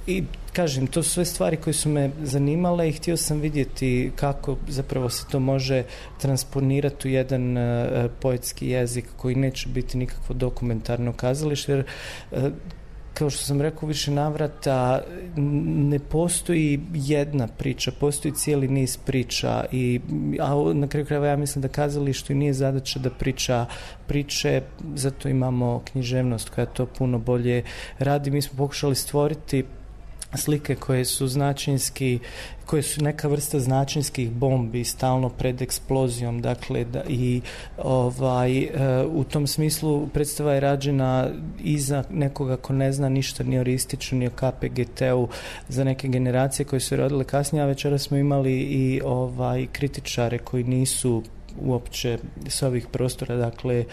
I kažem, to su sve stvari koje su me zanimale i htio sam vidjeti kako zapravo se to može transponirati u jedan poetski jezik koji neće biti nikakvo dokumentarno kazalište, jer kao što sam rekao više navrata, ne postoji jedna priča, postoji cijeli niz priča, a na kraju krajeva ja mislim da kazalištu i nije zadaća da priča priče, zato imamo književnost koja to puno bolje radi. Mi smo pokušali stvoriti slike koje su koje su neka vrsta značinskih bombi stalno pred eksplozijom, dakle u tom smislu predstava je rađena i za nekoga ko ne zna ništa ni o Ristiću ni o KPGT-u, za neke generacije koje su rodile kasnije, a večera smo imali i kritičare koji nisu uopće s ovih prostora, dakle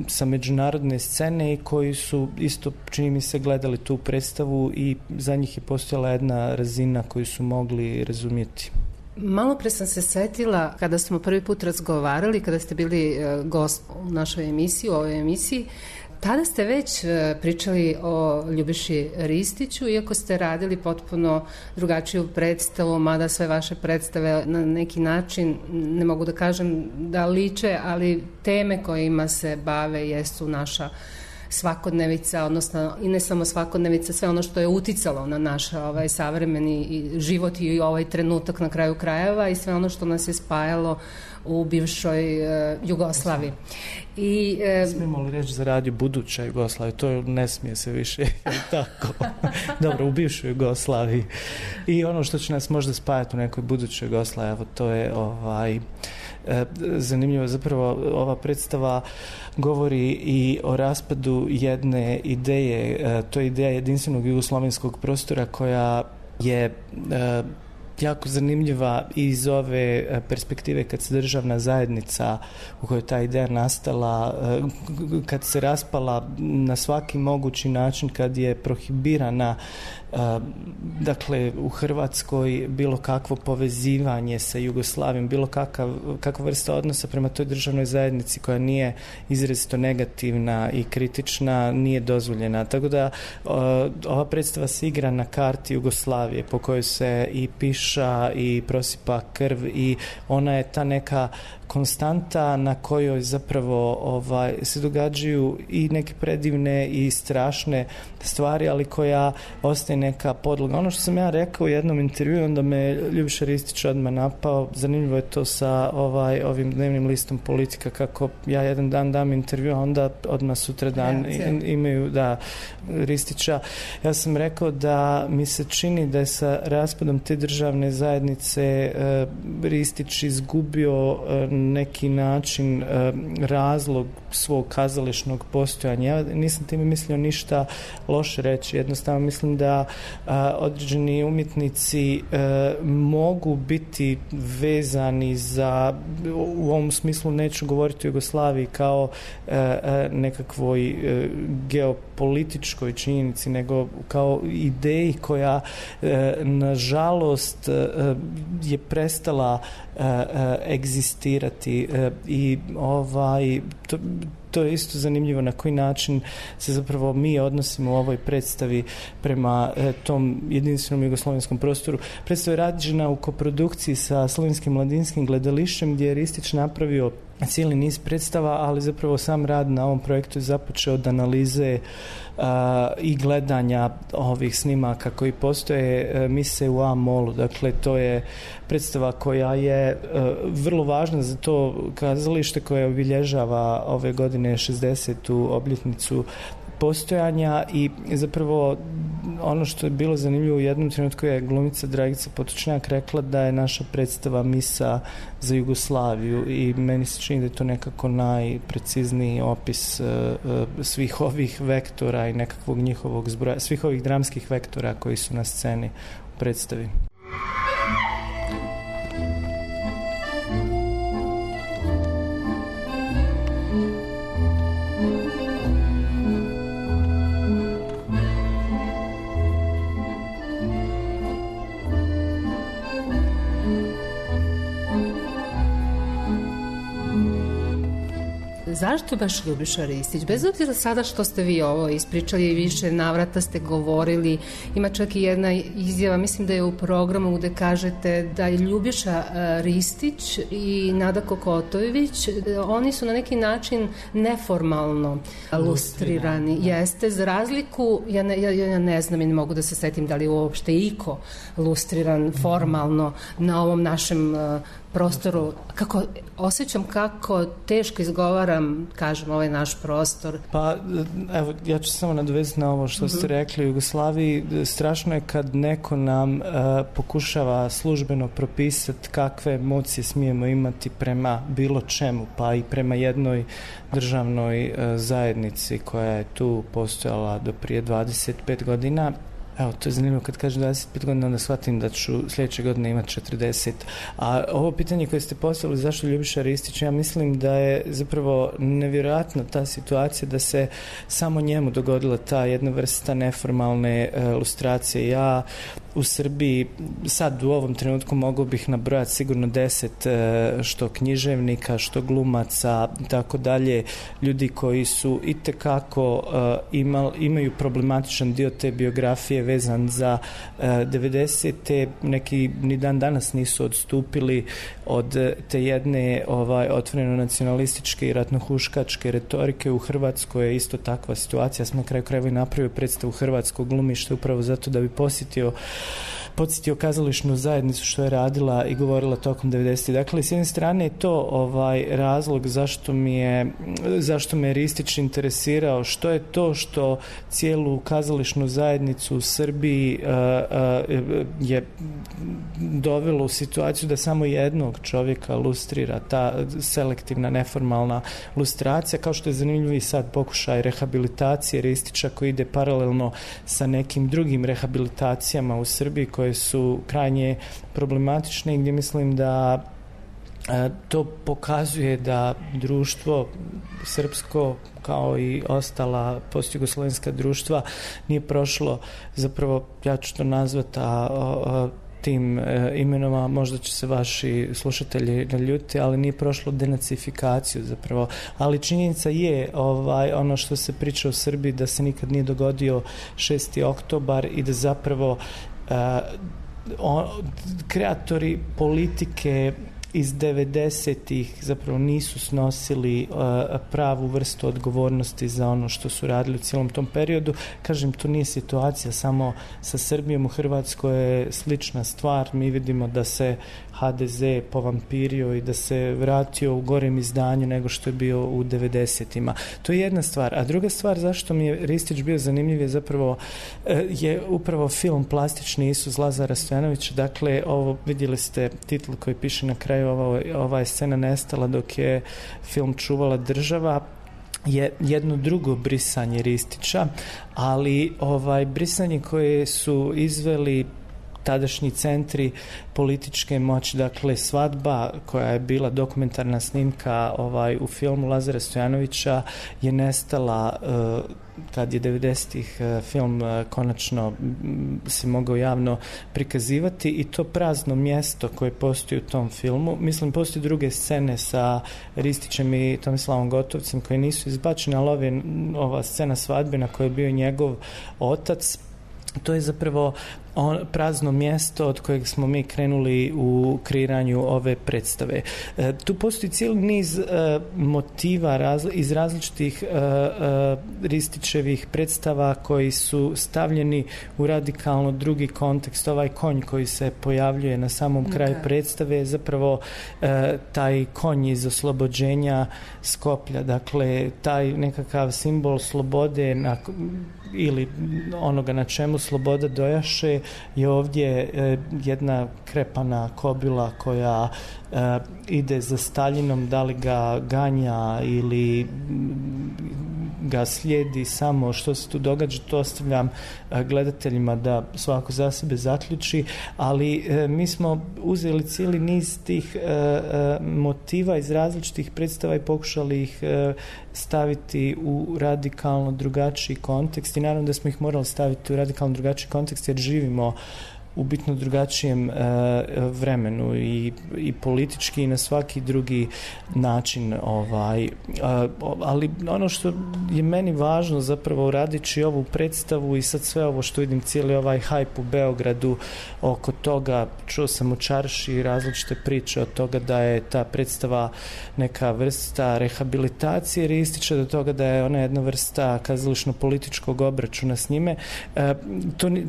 sa međunarodne scene i koji su isto, čini mi se, gledali tu predstavu i za njih je postojala jedna razina koju su mogli razumjeti. Malo pre sam se setila kada smo prvi put razgovarali, kada ste bili gost u našoj emisiji, u ovoj emisiji, tada ste već pričali o Ljubiši Ristiću, iako ste radili potpuno drugačiju predstavu, mada sve vaše predstave na neki način, ne mogu da kažem da liče, ali teme kojima se bave jesu naša svakodnevica, odnosno i ne samo svakodnevica, sve ono što je uticalo na naš savremeni život i ovaj trenutak na kraju krajeva i sve ono što nas je spajalo u bivšoj Jugoslaviji. Smijemo li reći za radio buduća Jugoslavija? To ne smije se više tako. Dobro, u bivšoj Jugoslaviji. I ono što će nas možda spajati u nekoj budućoj Jugoslaviji, evo to je zanimljivo. Zapravo ova predstava govori i o raspadu jedne ideje, to je ideja jedinstvenog jugoslovenskog prostora koja je jako zanimljiva iz ove perspektive kad se državna zajednica u kojoj ta ideja nastala, kad se raspala na svaki mogući način, kad je prohibirana dakle u Hrvatskoj bilo kakvo povezivanje sa Jugoslavijom, bilo kakva vrsta odnosa prema toj državnoj zajednici koja nije izrazito negativna i kritična, nije dozvoljena. Tako da ova predstava se igra na karti Jugoslavije po kojoj se i piša i prosipa krv i ona je ta neka konstanta na kojoj zapravo se događaju i neke predivne i strašne stvari, ali koja ostaje neka podloga. Ono što sam ja rekao u jednom intervjuu, onda me Ljubiša Ristić odmah napao, zanimljivo je to sa ovim dnevnim listom Politika, kako ja jedan dan dam intervju, a onda odmah sutra dan imaju Ristića. Ja sam rekao da mi se čini da je sa raspadom te državne zajednice Ristić izgubio neki način razlog svog kazališnog postojanja. Ja nisam time mislio ništa loše reći, jednostavno mislim da određeni umjetnici mogu biti vezani za, u ovom smislu neću govoriti o Jugoslaviji kao nekakvoj geopolitičkoj činjenici, nego kao ideji koja nažalost je prestala egzistirati i to je isto zanimljivo na koji način se zapravo mi odnosimo u ovoj predstavi prema tom jedinstvenom jugoslovenskom prostoru. Predstava je rađena u koprodukciji sa Slovenskim mladinskim gledališćem gdje je Ristić napravio cijeli niz predstava, ali zapravo sam rad na ovom projektu je započeo od analize i gledanja ovih snimaka koji postoje Mise u A-molu. Dakle, to je predstava koja je vrlo važna za to kazalište koje obilježava ove godine 60. obljetnicu postojanja i zapravo ono što je bilo zanimljivo u jednom trenutku je glumica Dragica Potočnjak rekla da je naša predstava misa za Jugoslaviju i meni se čini da je to nekako najprecizniji opis svih ovih vektora i nekakvog njihovog zbroja, svih ovih dramskih vektora koji su na sceni u predstavi. zašto baš Ljubiša Ristić? Bez obzira sada što ste vi ovo ispričali, više navrata ste govorili, ima čak i jedna izjava, mislim da je u programu gde kažete da je Ljubiša Ristić i Nada Kokotojević, oni su na neki način neformalno lustrirani. Jeste, za razliku, ja ne znam i ne mogu da se setim da li uopšte iko lustriran formalno na ovom našem prostoru. Osjećam kako teško izgovaram, kažem, ovaj naš prostor. Pa, evo, ja ću samo nadovezati na ovo što ste rekli. U Jugoslaviji strašno je kad neko nam pokušava službeno propisati kakve emocije smijemo imati prema bilo čemu, pa i prema jednoj državnoj zajednici koja je tu postojala do prije 25 godina. Evo, to je zanimljivo, kad kažem 25 godina, onda shvatim da ću sljedeće godine imati 40. A ovo pitanje koje ste postavili, zašto Ljubiša Ristić, ja mislim da je zapravo nevjerojatna ta situacija da se samo njemu dogodila ta jedna vrsta neformalne lustracije. Ja u Srbiji sad u ovom trenutku mogu bih nabrojati sigurno 10 što književnika, što glumaca i tako dalje, ljudi koji su itekako imaju problematičan dio te biografije vezan za 90. Neki ni dan danas nisu odstupili od te jedne otvoreno nacionalističke i ratnohuškačke retorike. U Hrvatskoj je isto takva situacija. Ja sam na kraju krajeva i napravio predstavu Hrvatskog glumišta upravo zato da bi podsjetio kazališnu zajednicu što je radila i govorila tokom 90. Dakle, s jedne strane je to razlog zašto me Ristić interesirao, što je to što cijelu kazališnu zajednicu u Srbiji je dovelo u situaciju da samo jednog čovjeka lustrira, ta selektivna neformalna lustracija, kao što je zanimljiv i sad pokušaj rehabilitacije Ristića koji ide paralelno sa nekim drugim rehabilitacijama u Srbiji koje su krajnje problematične i gdje mislim da to pokazuje da društvo srpsko kao i ostala postjugoslovenska društva nije prošlo, zapravo ja ću to nazvati tim imenoma, možda će se vaši slušatelji naljuti, ali nije prošlo denacifikaciju zapravo. Ali činjenica je ono što se priča u Srbiji da se nikad nije dogodio 6. oktobar i da zapravo kreatori politike iz 90-ih zapravo nisu snosili pravu vrstu odgovornosti za ono što su radili u cijelom tom periodu. Kažem, to nije situacija samo sa Srbijom. U Hrvatskoj je slična stvar. Mi vidimo da se HDZ povampirio i da se vratio u gorem izdanju nego što je bio u 90-ima. To je jedna stvar. A druga stvar zašto mi je Ristić bio zanimljiv je zapravo je upravo film Plastični Isus Lazara Stojanovića. Dakle, ovo vidjeli ste titl koji piše na kraju, ova je scena nestala dok je film čuvala država, je jedno drugo brisanje Ristića, ali brisanje koje su izveli tadašnji centri političke moći, dakle Svadba koja je bila dokumentarna snimka u filmu Lazara Stojanovića je nestala kad je 90-ih film konačno se mogao javno prikazivati i to prazno mjesto koje postoji u tom filmu, mislim postoji druge scene sa Ristićem i Tomislavom Gotovcem koje nisu izbačene, ali ova scena svadbe na kojoj je bio njegov otac, to je zapravo prazno mjesto od kojeg smo mi krenuli u kreiranju ove predstave. Tu postoji cijeli niz motiva iz različitih Ristićevih predstava koji su stavljeni u radikalno drugi kontekst. Ovaj konj koji se pojavljuje na samom kraju predstave je zapravo taj konj iz oslobođenja Skoplja. Dakle, taj nekakav simbol slobode ili onoga na čemu sloboda dojaše je ovdje jedna krepana kobila koja ide za Staljinom, da li ga ganja ili ga slijedi samo što se tu događa, to ostavljam gledateljima da svako za sebe zaključi, ali mi smo uzeli cijeli niz tih motiva iz različitih predstava i pokušali ih staviti u radikalno drugačiji kontekst i naravno da smo ih morali staviti u radikalno drugačiji kontekst jer živimo u bitno drugačijem vremenu i politički i na svaki drugi način. Ali ono što je meni važno zapravo radići ovu predstavu i sad sve ovo što vidim, cijeli ovaj hajp u Beogradu oko toga, čuo sam u čarši različite priče od toga da je ta predstava neka vrsta rehabilitacije ristića, do toga da je ona jedna vrsta kazališno-političkog obračuna s njime.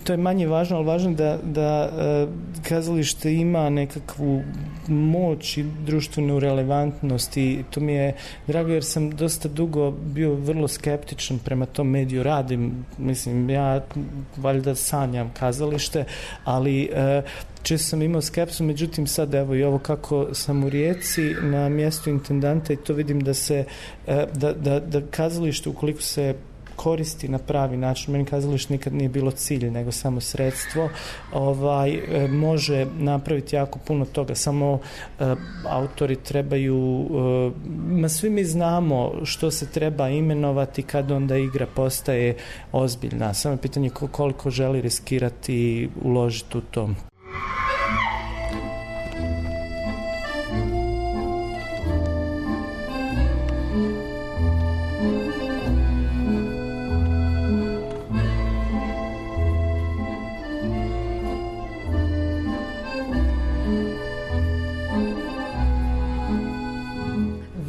To je manje važno, ali važno da kazalište ima nekakvu moć i društvenu relevantnost i to mi je drago jer sam dosta dugo bio vrlo skeptičan prema tom mediju. Radim, mislim, ja valjda sanjam kazalište, ali često sam imao skepsu, međutim sad evo i ovo kako sam u Rijeci na mjestu intendanta i to vidim da se da kazalište ukoliko se koristi na pravi način, meni kazalište nikad nije bilo cilj nego samo sredstvo, može napraviti jako puno toga, samo autori trebaju, svi mi znamo što se treba imenovati kad onda igra postaje ozbiljna, samo je pitanje koliko želi riskirati i uložiti u to.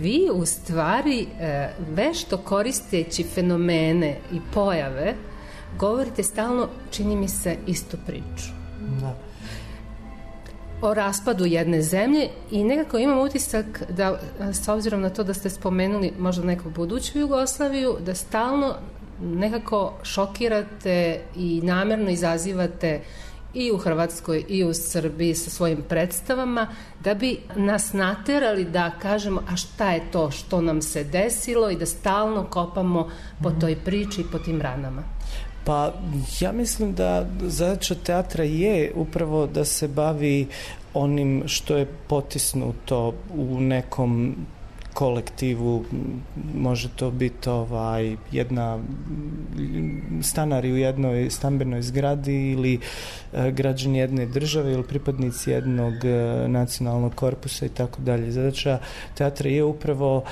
Vi u stvari vešto koristeći fenomene i pojave govorite stalno, čini mi se, istu priču. Da. O raspadu jedne zemlje i nekako imam utisak da, s obzirom na to da ste spomenuli možda neku buduću Jugoslaviju, da stalno nekako šokirate i namjerno izazivate i u Hrvatskoj i u Srbiji sa svojim predstavama, da bi nas naterali da kažemo a šta je to što nam se desilo i da stalno kopamo po toj priči i po tim ranama. Pa ja mislim da zadaća teatra je upravo da se bavi onim što je potisnuto u nekom kolektivu, može to biti jedna stanari u jednoj stambenoj zgradi ili građani jedne države ili pripadnici jednog nacionalnog korpusa i tako dalje. Zadaća teatra je upravo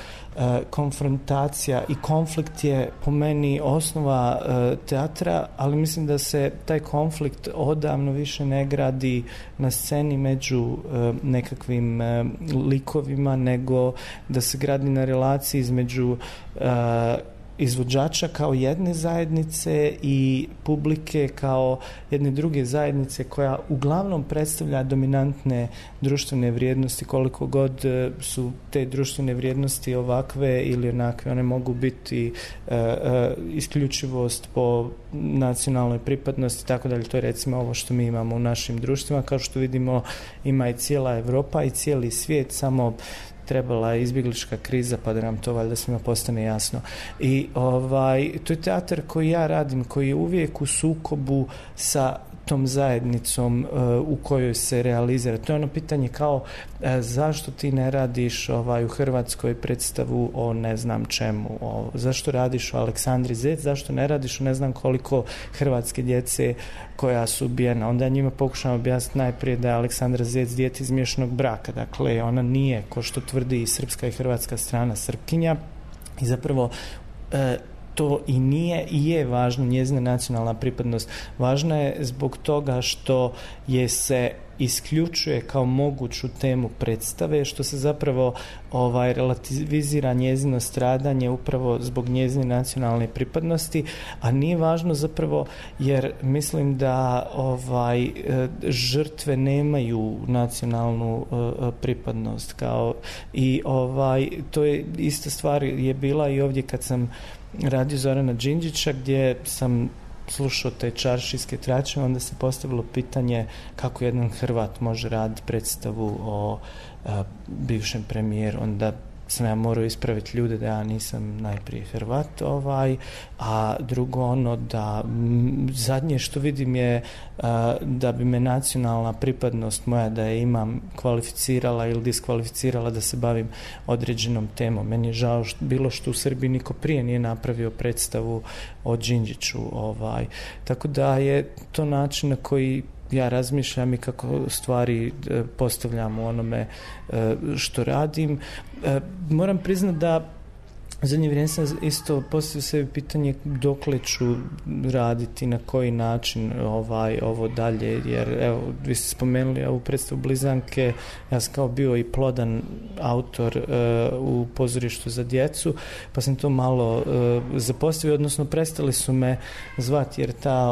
konfrontacija i konflikt je po meni osnova teatra, ali mislim da se taj konflikt odavno više ne gradi na sceni među nekakvim likovima, nego da se gradi na relaciji između izvođača kao jedne zajednice i publike kao jedne druge zajednice koja uglavnom predstavlja dominantne društvene vrijednosti, koliko god su te društvene vrijednosti ovakve ili onakve. One mogu biti isključivost po nacionalnoj pripadnosti, tako dalje. To je recimo ovo što mi imamo u našim društvima. Kao što vidimo, ima i cijela Evropa i cijeli svijet, samo trebala je izbjeglička kriza pa da nam to valjda svima postane jasno. I to je teatar koji ja radim, koji je uvijek u sukobu sa tom zajednicom u kojoj se realizira. To je ono pitanje kao zašto ti ne radiš u Hrvatskoj predstavu o ne znam čemu, zašto radiš o Aleksandri Zec, zašto ne radiš o ne znam koliko hrvatske djece koja su ubijena. Onda njima pokušam objasniti najprije da je Aleksandra Zec dijete iz miješanog braka. Dakle, ona nije, ko što tvrdi i srpska i hrvatska strana, Srpkinja. I zapravo to i nije i je važno, njezina nacionalna pripadnost. Važna je zbog toga što je se isključuje kao moguću temu predstave, što se zapravo relativizira njezino stradanje upravo zbog njezine nacionalne pripadnosti, a nije važno zapravo jer mislim da žrtve nemaju nacionalnu pripadnost i to je ista stvar je bila i ovdje kad sam radio Zorana Đinđića, gdje sam slušao te čaršijske trače, onda se postavilo pitanje kako jedan Hrvat može raditi predstavu o bivšem premijeru. Onda sam ja morao ispraviti ljude da ja nisam najprije Hrvat, a drugo da zadnje što vidim je da bi me nacionalna pripadnost moja da je imam kvalificirala ili diskvalificirala da se bavim određenom temom. Meni je žao bilo što u Srbiji niko prije nije napravio predstavu o Đinđiću. Tako da je to način na koji ja razmišljam i kako stvari postavljam u onome što radim. Moram priznati da zadnje vrijeme sam isto postavio sebi pitanje dokle ću raditi, na koji način ovo dalje, jer evo, vi ste spomenuli ovu predstavu Blizanke, ja sam kao bio i plodan autor u pozorištu za djecu, pa sam to malo zapostavio, odnosno prestali su me zvati, jer ta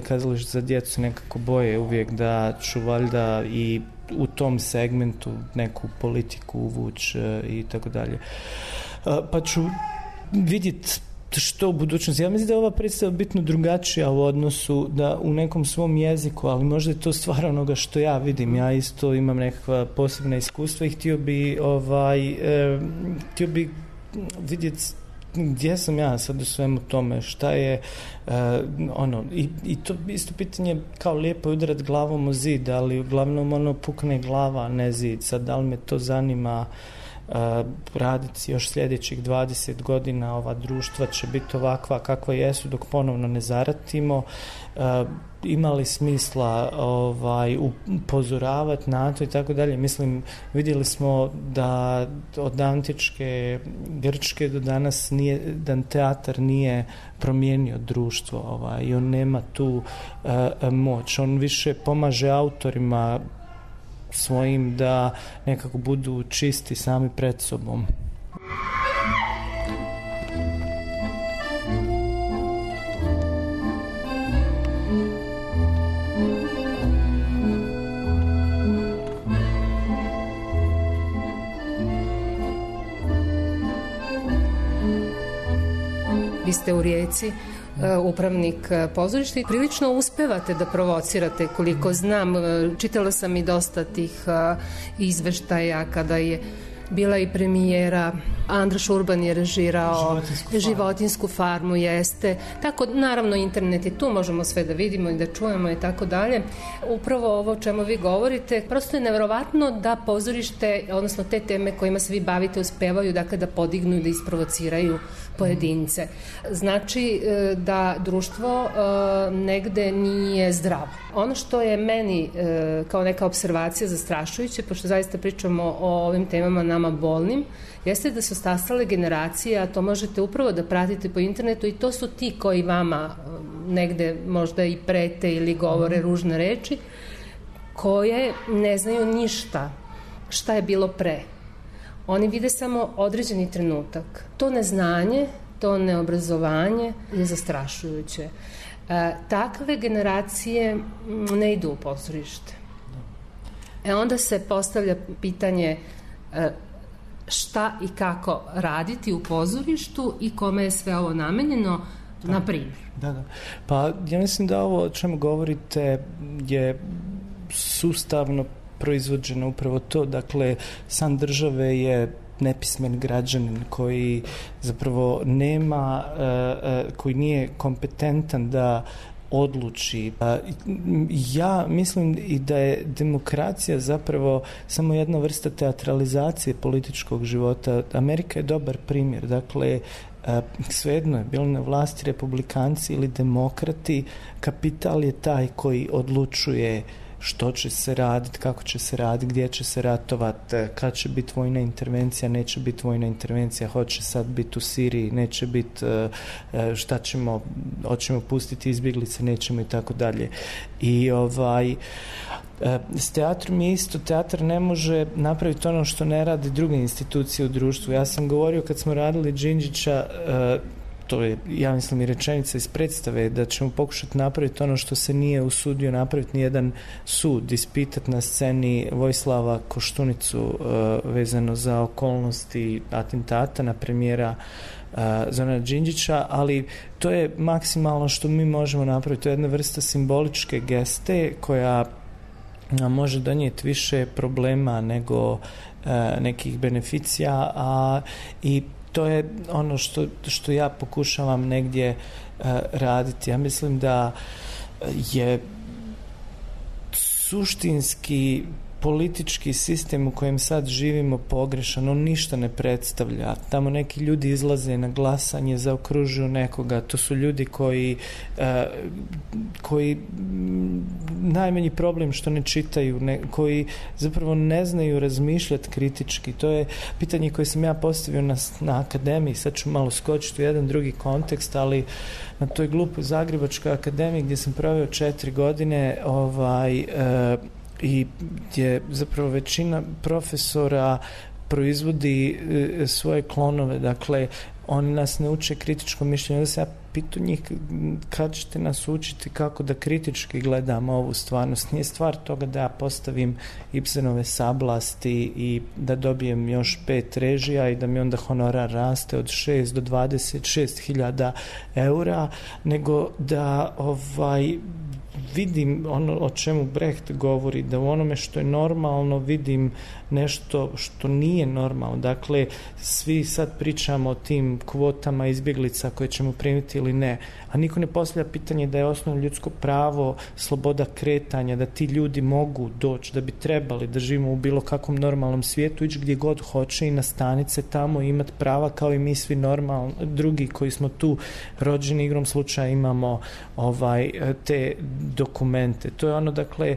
kazalište za djecu se nekako boje uvijek da ću valjda i u tom segmentu neku politiku uvući i tako dalje. Pa ću vidjeti što u budućnosti. Ja mislim da je ova predstava bitno drugačija u odnosu da u nekom svom jeziku, ali možda je to stvar onoga što ja vidim. Ja isto imam nekakva posebna iskustva i htio bi vidjeti gdje sam ja sad u svemu tome, šta je i to isto pitanje, kao lijepo je udarat glavom o zid, ali uglavnom pukne glava, a ne zid. Sad, da li me to zanima raditi još sljedećih 20 godina, ova društva će biti ovakva kakva jesu dok ponovno ne zaratimo, ima li smisla upozoravati na to i tako dalje. Mislim, vidjeli smo da od antičke Grčke do danas da teatar nije promijenio društvo i on nema tu moć, on više pomaže autorima svojim da nekako budu čisti sami pred sobom. Vi ste u Rijeci upravnik pozorišta i prilično uspevate da provocirate, koliko znam. Čitala sam i dosta tih izveštaja kada je bila i premijera, Andraš Urban je režirao Životinsku farmu, jeste. Tako, naravno, internet je tu, možemo sve da vidimo i da čujemo i tako dalje. Upravo ovo o čemu vi govorite, prosto je nevjerovatno da pozorište, odnosno te teme kojima se vi bavite, uspevaju da podignu i da isprovociraju pojedince. Znači da društvo negde nije zdravo. Ono što je meni kao neka observacija zastrašujuće, pošto zaista pričamo o ovim temama nama bolnim, jeste da su stasale generacije, a to možete upravo da pratite po internetu, i to su ti koji vama negde možda i prete ili govore ružne reči, koje ne znaju ništa šta je bilo pre. Oni vide samo određeni trenutak. To neznanje, to neobrazovanje je zastrašujuće. Takve generacije ne idu u pozorište. Onda se postavlja pitanje šta i kako raditi u pozorištu i kome je sve ovo namenjeno, na primjer. Da. Pa ja mislim da ovo o čemu govorite je sustavno proizvođeno upravo to. Dakle, san države je nepismen građanin koji zapravo nema, koji nije kompetentan da odluči. Ja mislim i da je demokracija zapravo samo jedna vrsta teatralizacije političkog života. Amerika je dobar primjer. Dakle, svejedno je bilo na vlasti republikanci ili demokrati, kapital je taj koji odlučuje što će se raditi, kako će se raditi, gdje će se ratovati, kad će biti vojna intervencija, neće biti vojna intervencija, hoće sad biti u Siriji, neće biti, šta ćemo, hoćemo pustiti izbjeglice, nećemo i tako dalje. I s teatrom je isto, teatar ne može napraviti ono što ne radi druge institucije u društvu. Ja sam govorio kad smo radili Đinđića, to je, ja mislim, i rečenica iz predstave, da ćemo pokušati napraviti ono što se nije usudio napraviti nijedan sud, ispitati na sceni Vojislava Koštunicu vezano za okolnosti atentata na premijera Zorana Đinđića, ali to je maksimalno što mi možemo napraviti. To je jedna vrsta simboličke geste koja nam može donijeti više problema nego nekih beneficija, i to je ono što ja pokušavam negdje raditi. Ja mislim da je suštinski politički sistem u kojem sad živimo pogrešan, on ništa ne predstavlja. Tamo neki ljudi izlaze na glasanje, zaokružuju nekoga, to su ljudi koji najmanji problem što ne čitaju, koji zapravo ne znaju razmišljati kritički. To je pitanje koje sam ja postavio na akademiji, sad ću malo skočiti u jedan drugi kontekst, ali na toj glupoj Zagrebačkoj akademiji gdje sam proveo 4 godine i gdje zapravo većina profesora proizvodi svoje klonove, dakle oni nas ne uče kritičko mišljenje. Onda se ja pitu njih kad ćete nas učiti kako da kritički gledamo ovu stvarnost. Nije stvar toga da ja postavim Ibsenove sablasti i da dobijem još 5 režija i da mi onda honorar raste od 6 do 26.000 eura, nego da vidim ono o čemu Brecht govori, da u onome što je normalno vidim nešto što nije normalno. Dakle, svi sad pričamo o tim kvotama izbjeglica koje ćemo primiti ili ne, a niko ne postavlja pitanje da je osnovno ljudsko pravo sloboda kretanja, da ti ljudi mogu doći, da bi trebali da živimo u bilo kakvom normalnom svijetu, ići gdje god hoće i nastaniti se tamo i imati prava kao i mi svi normalni drugi koji smo tu rođeni, igrom slučaja imamo te dokumente. To je ono, dakle,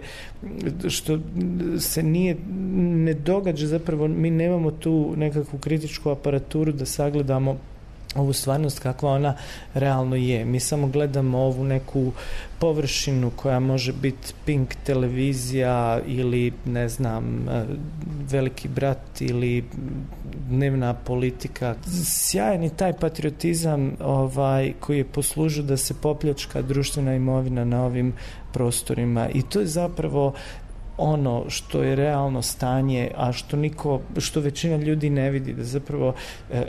što se ne događa, zapravo mi nemamo tu nekakvu kritičku aparaturu da sagledamo ovu stvarnost kakva ona realno je. Mi samo gledamo ovu neku površinu koja može biti Pink televizija ili ne znam Veliki brat ili dnevna politika. Sjajan je taj patriotizam koji je poslužio da se popljačka društvena imovina na ovim prostorima i to je zapravo ono što je realno stanje, a što većina ljudi ne vidi, da zapravo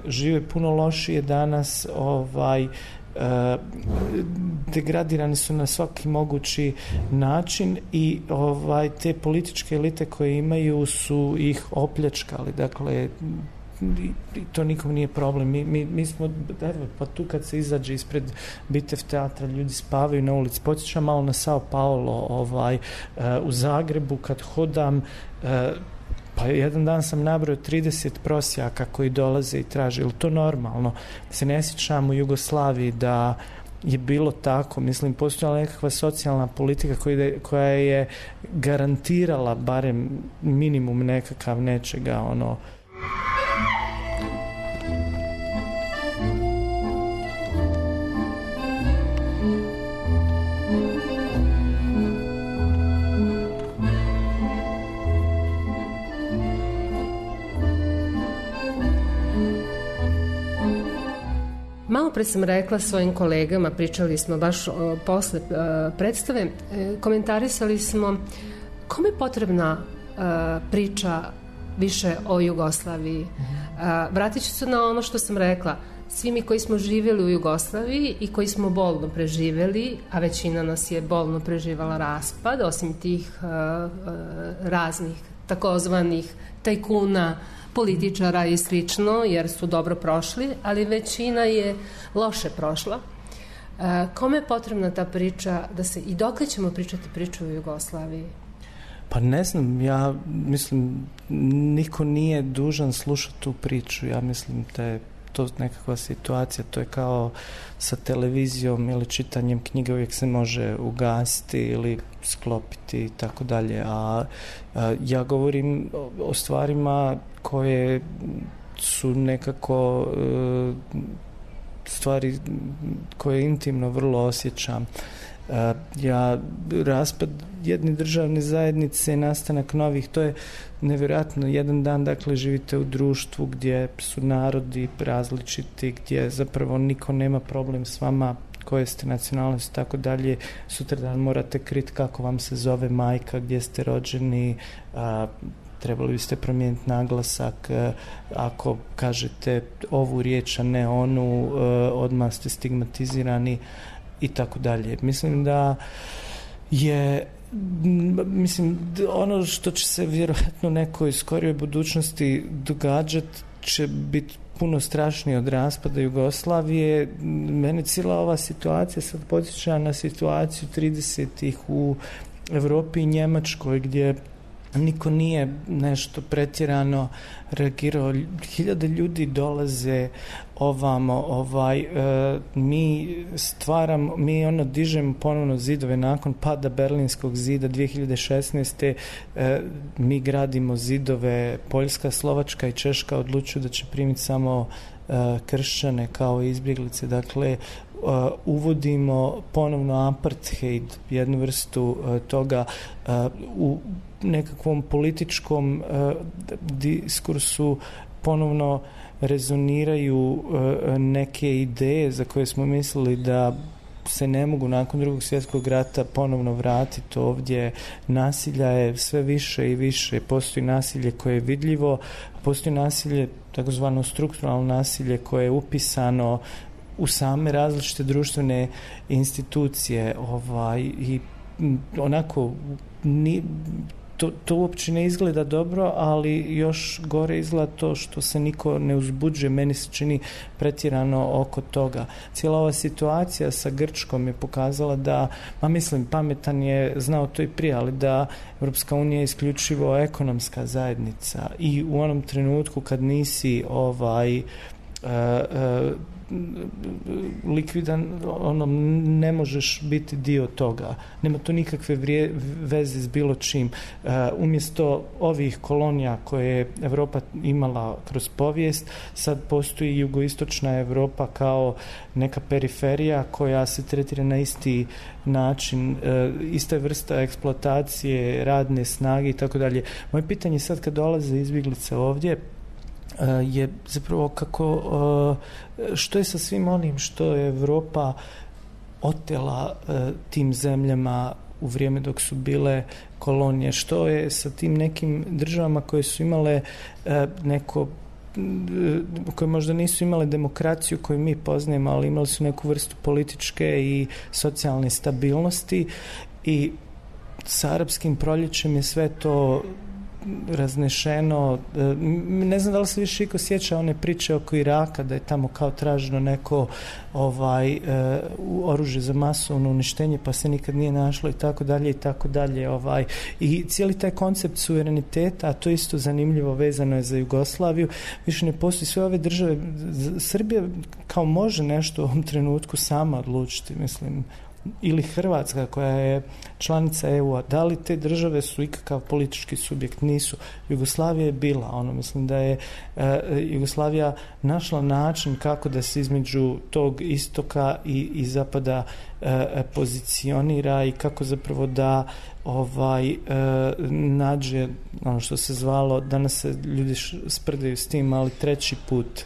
žive puno lošije danas, degradirani su na svaki mogući način i te političke elite koje imaju su ih opljačkali. Dakle, to nikom nije problem. Mi smo, pa tu kad se izađe ispred Bitev teatra, ljudi spavaju na ulici. Podsjećam malo na Sao Paulo, u Zagrebu kad hodam, pa jedan dan sam nabrojao 30 prosjaka koji dolaze i traže. Je li to normalno? Se ne sjećam u Jugoslaviji da je bilo tako, mislim, postojala nekakva socijalna politika koja je garantirala barem minimum nekakav nečega, Malo pre sam rekla svojim kolegama, pričali smo baš posle predstave, komentarisali smo kome je potrebna priča više o Jugoslaviji. Vratit ću se na ono što sam rekla. Svi mi koji smo živjeli u Jugoslaviji i koji smo bolno preživjeli, a većina nas je bolno preživala raspad, osim tih raznih takozvanih tajkuna, političara i slično, jer su dobro prošli, ali većina je loše prošla. Kome je potrebna ta priča i dokle ćemo pričati priču o Jugoslaviji? Pa ne znam, ja mislim niko nije dužan slušati tu priču. Ja mislim da je to nekakva situacija, to je kao sa televizijom ili čitanjem knjige, uvijek se može ugasiti ili sklopiti i tako dalje. A ja govorim o stvarima koje su nekako stvari koje intimno vrlo osjećam. Raspad jedne državne zajednice, nastanak novih, to je nevjerojatno. Jedan dan, dakle, živite u društvu gdje su narodi različiti, gdje zapravo niko nema problem s vama, koje ste nacionalnosti, tako dalje. Sutradan morate kriti kako vam se zove majka, gdje ste rođeni, trebali biste promijeniti naglasak, ako kažete ovu riječ, a ne onu, odmah ste stigmatizirani i tako dalje. Mislim da je ono što će se vjerojatno u nekoj skorijoj budućnosti događati će biti puno strašnije od raspada Jugoslavije. Mene cijela ova situacija sad podsjeća na situaciju 30-ih u Europi i Njemačkoj, gdje niko nije nešto pretjerano reagirao. Hiljade ljudi dolaze ovamo, mi dižemo ponovno zidove nakon pada Berlinskog zida 2016. Mi gradimo zidove, Poljska, Slovačka i Češka odlučuju da će primiti samo kršćane kao izbjeglice. Dakle, uvodimo ponovno apartheid, jednu vrstu toga u nekakvom političkom diskursu ponovno rezoniraju neke ideje za koje smo mislili da se ne mogu nakon Drugog svjetskog rata ponovno vratiti ovdje. Nasilja je sve više i više. Postoji nasilje koje je vidljivo, postoji nasilje, takozvano strukturalno nasilje, koje je upisano u same različite društvene institucije i onako to uopće ne izgleda dobro, ali još gore izgleda to što se niko ne uzbuđuje, meni se čini pretjerano oko toga. Cijela ova situacija sa Grčkom je pokazala da, pametan je znao to i prije, ali da Europska unija je isključivo ekonomska zajednica i u onom trenutku kad nisi likvidan, ne možeš biti dio toga. Nema to nikakve veze s bilo čim. Umjesto ovih kolonija koje je Europa imala kroz povijest, sad postoji jugoistočna Europa kao neka periferija koja se tretira na isti način, ista vrsta eksploatacije, radne snage i tako dalje. Moje pitanje sad kad dolaze izbjeglice ovdje je zapravo što je sa svim onim što je Europa otela tim zemljama u vrijeme dok su bile kolonije, što je sa tim nekim državama koje su imale koje možda nisu imale demokraciju koju mi poznajemo, ali imali su neku vrstu političke i socijalne stabilnosti, i sa arapskim proljećem je sve to raznešeno. Ne znam da li se više iko sjeća one priče oko Iraka, da je tamo kao traženo neko oružje za masovno uništenje pa se nikad nije našlo i tako dalje i tako dalje. I cijeli taj koncept suvereniteta, a to isto zanimljivo, vezano je za Jugoslaviju, više ne postoji. Sve ove države, Srbija kao može nešto u ovom trenutku sama odlučiti, mislim, ili Hrvatska koja je članica EU-a, da li te države su ikakav politički subjekt? Nisu. Jugoslavija je bila, mislim da je Jugoslavija našla način kako da se između tog istoka i zapada pozicionira i kako zapravo da nađe ono što se zvalo, danas se ljudi sprdaju s tim, ali treći put.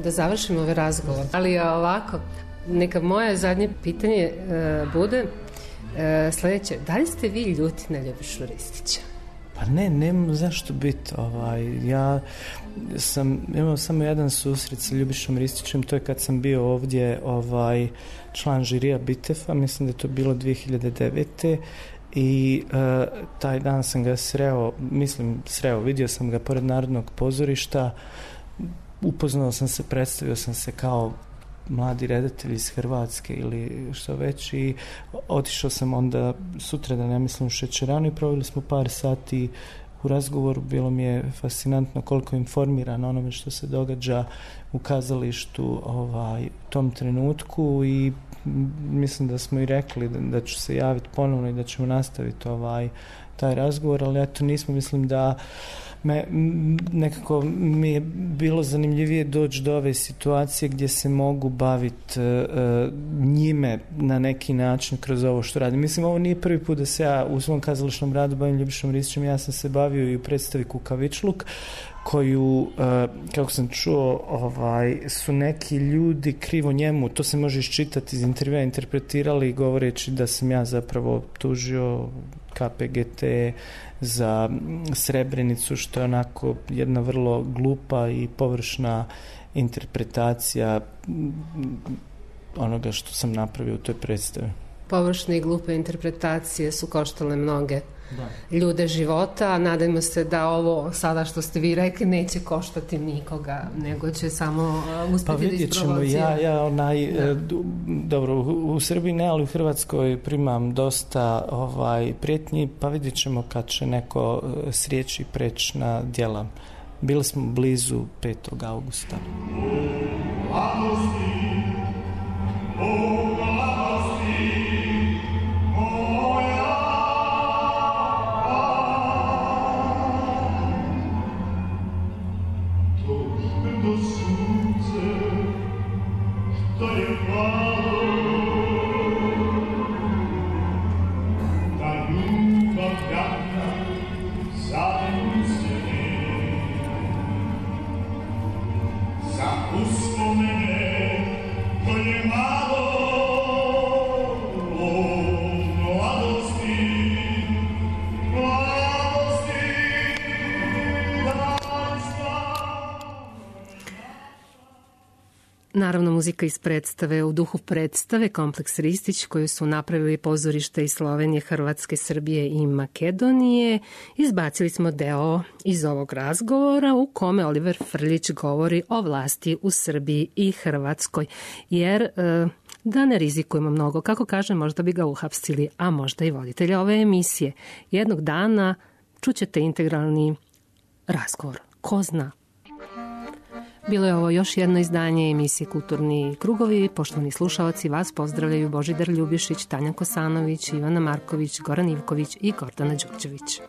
Da završimo ovaj razgovor. Ali ovako, neka moje zadnje pitanje bude sljedeće. Da li ste vi ljuti na Ljubišu Ristića? Pa nemam zašto biti. Ja sam imao samo jedan susret sa Ljubišom Ristićem, to je kad sam bio ovdje član žirija Bitefa, mislim da je to bilo 2009. I taj dan sam ga vidio sam ga pored Narodnog pozorišta, upoznao sam se, predstavio sam se kao mladi redatelj iz Hrvatske ili što već, i otišao sam onda sutradan, ja mislim, u šećeranu i proveli smo par sati u razgovoru. Bilo mi je fascinantno koliko je informiran onome što se događa u kazalištu u tom trenutku, i mislim da smo i rekli da ću se javiti ponovno i da ćemo nastaviti taj razgovor, ali eto nismo, mislim da nekako mi je bilo zanimljivije doći do ove situacije gdje se mogu baviti njime na neki način kroz ovo što radim. Mislim, ovo nije prvi put da se ja u svom kazališnom radu bavim Ljubišom Ristićem. Ja sam se bavio i u predstavi Kukavičluk, koju, kako sam čuo, su neki ljudi krivo njemu, to se može iščitati iz intervjua, interpretirali govoreći da sam ja zapravo tužio KPGT, za Srebrenicu, što je onako jedna vrlo glupa i površna interpretacija onoga što sam napravio u toj predstavi. Površne i glupe interpretacije su koštale mnoge ljude života, a nadajmo se da ovo sada što ste vi rekli neće koštati nikoga, nego će samo uspjeti da isprovocira. Dobro, u Srbiji ne, ali u Hrvatskoj primam dosta prijetnji, pa vidjet ćemo kad će neko srijeći preći na djela. Bili smo blizu 5. augusta. Naravno, muzika iz predstave, u duhu predstave Kompleks Ristić, koju su napravili pozorište iz Slovenije, Hrvatske, Srbije i Makedonije. Izbacili smo deo iz ovog razgovora u kome Oliver Frljić govori o vlasti u Srbiji i Hrvatskoj, jer da ne rizikujemo mnogo, kako kaže, možda bi ga uhapsili, a možda i voditelja ove emisije. Jednog dana čućete integralni razgovor. Ko zna? Bilo je ovo još jedno izdanje emisije Kulturni krugovi. Poštovani slušalci, vas pozdravljaju Božidar Ljubišić, Tanja Kosanović, Ivana Marković, Goran Ivković i Gordana Đurđević.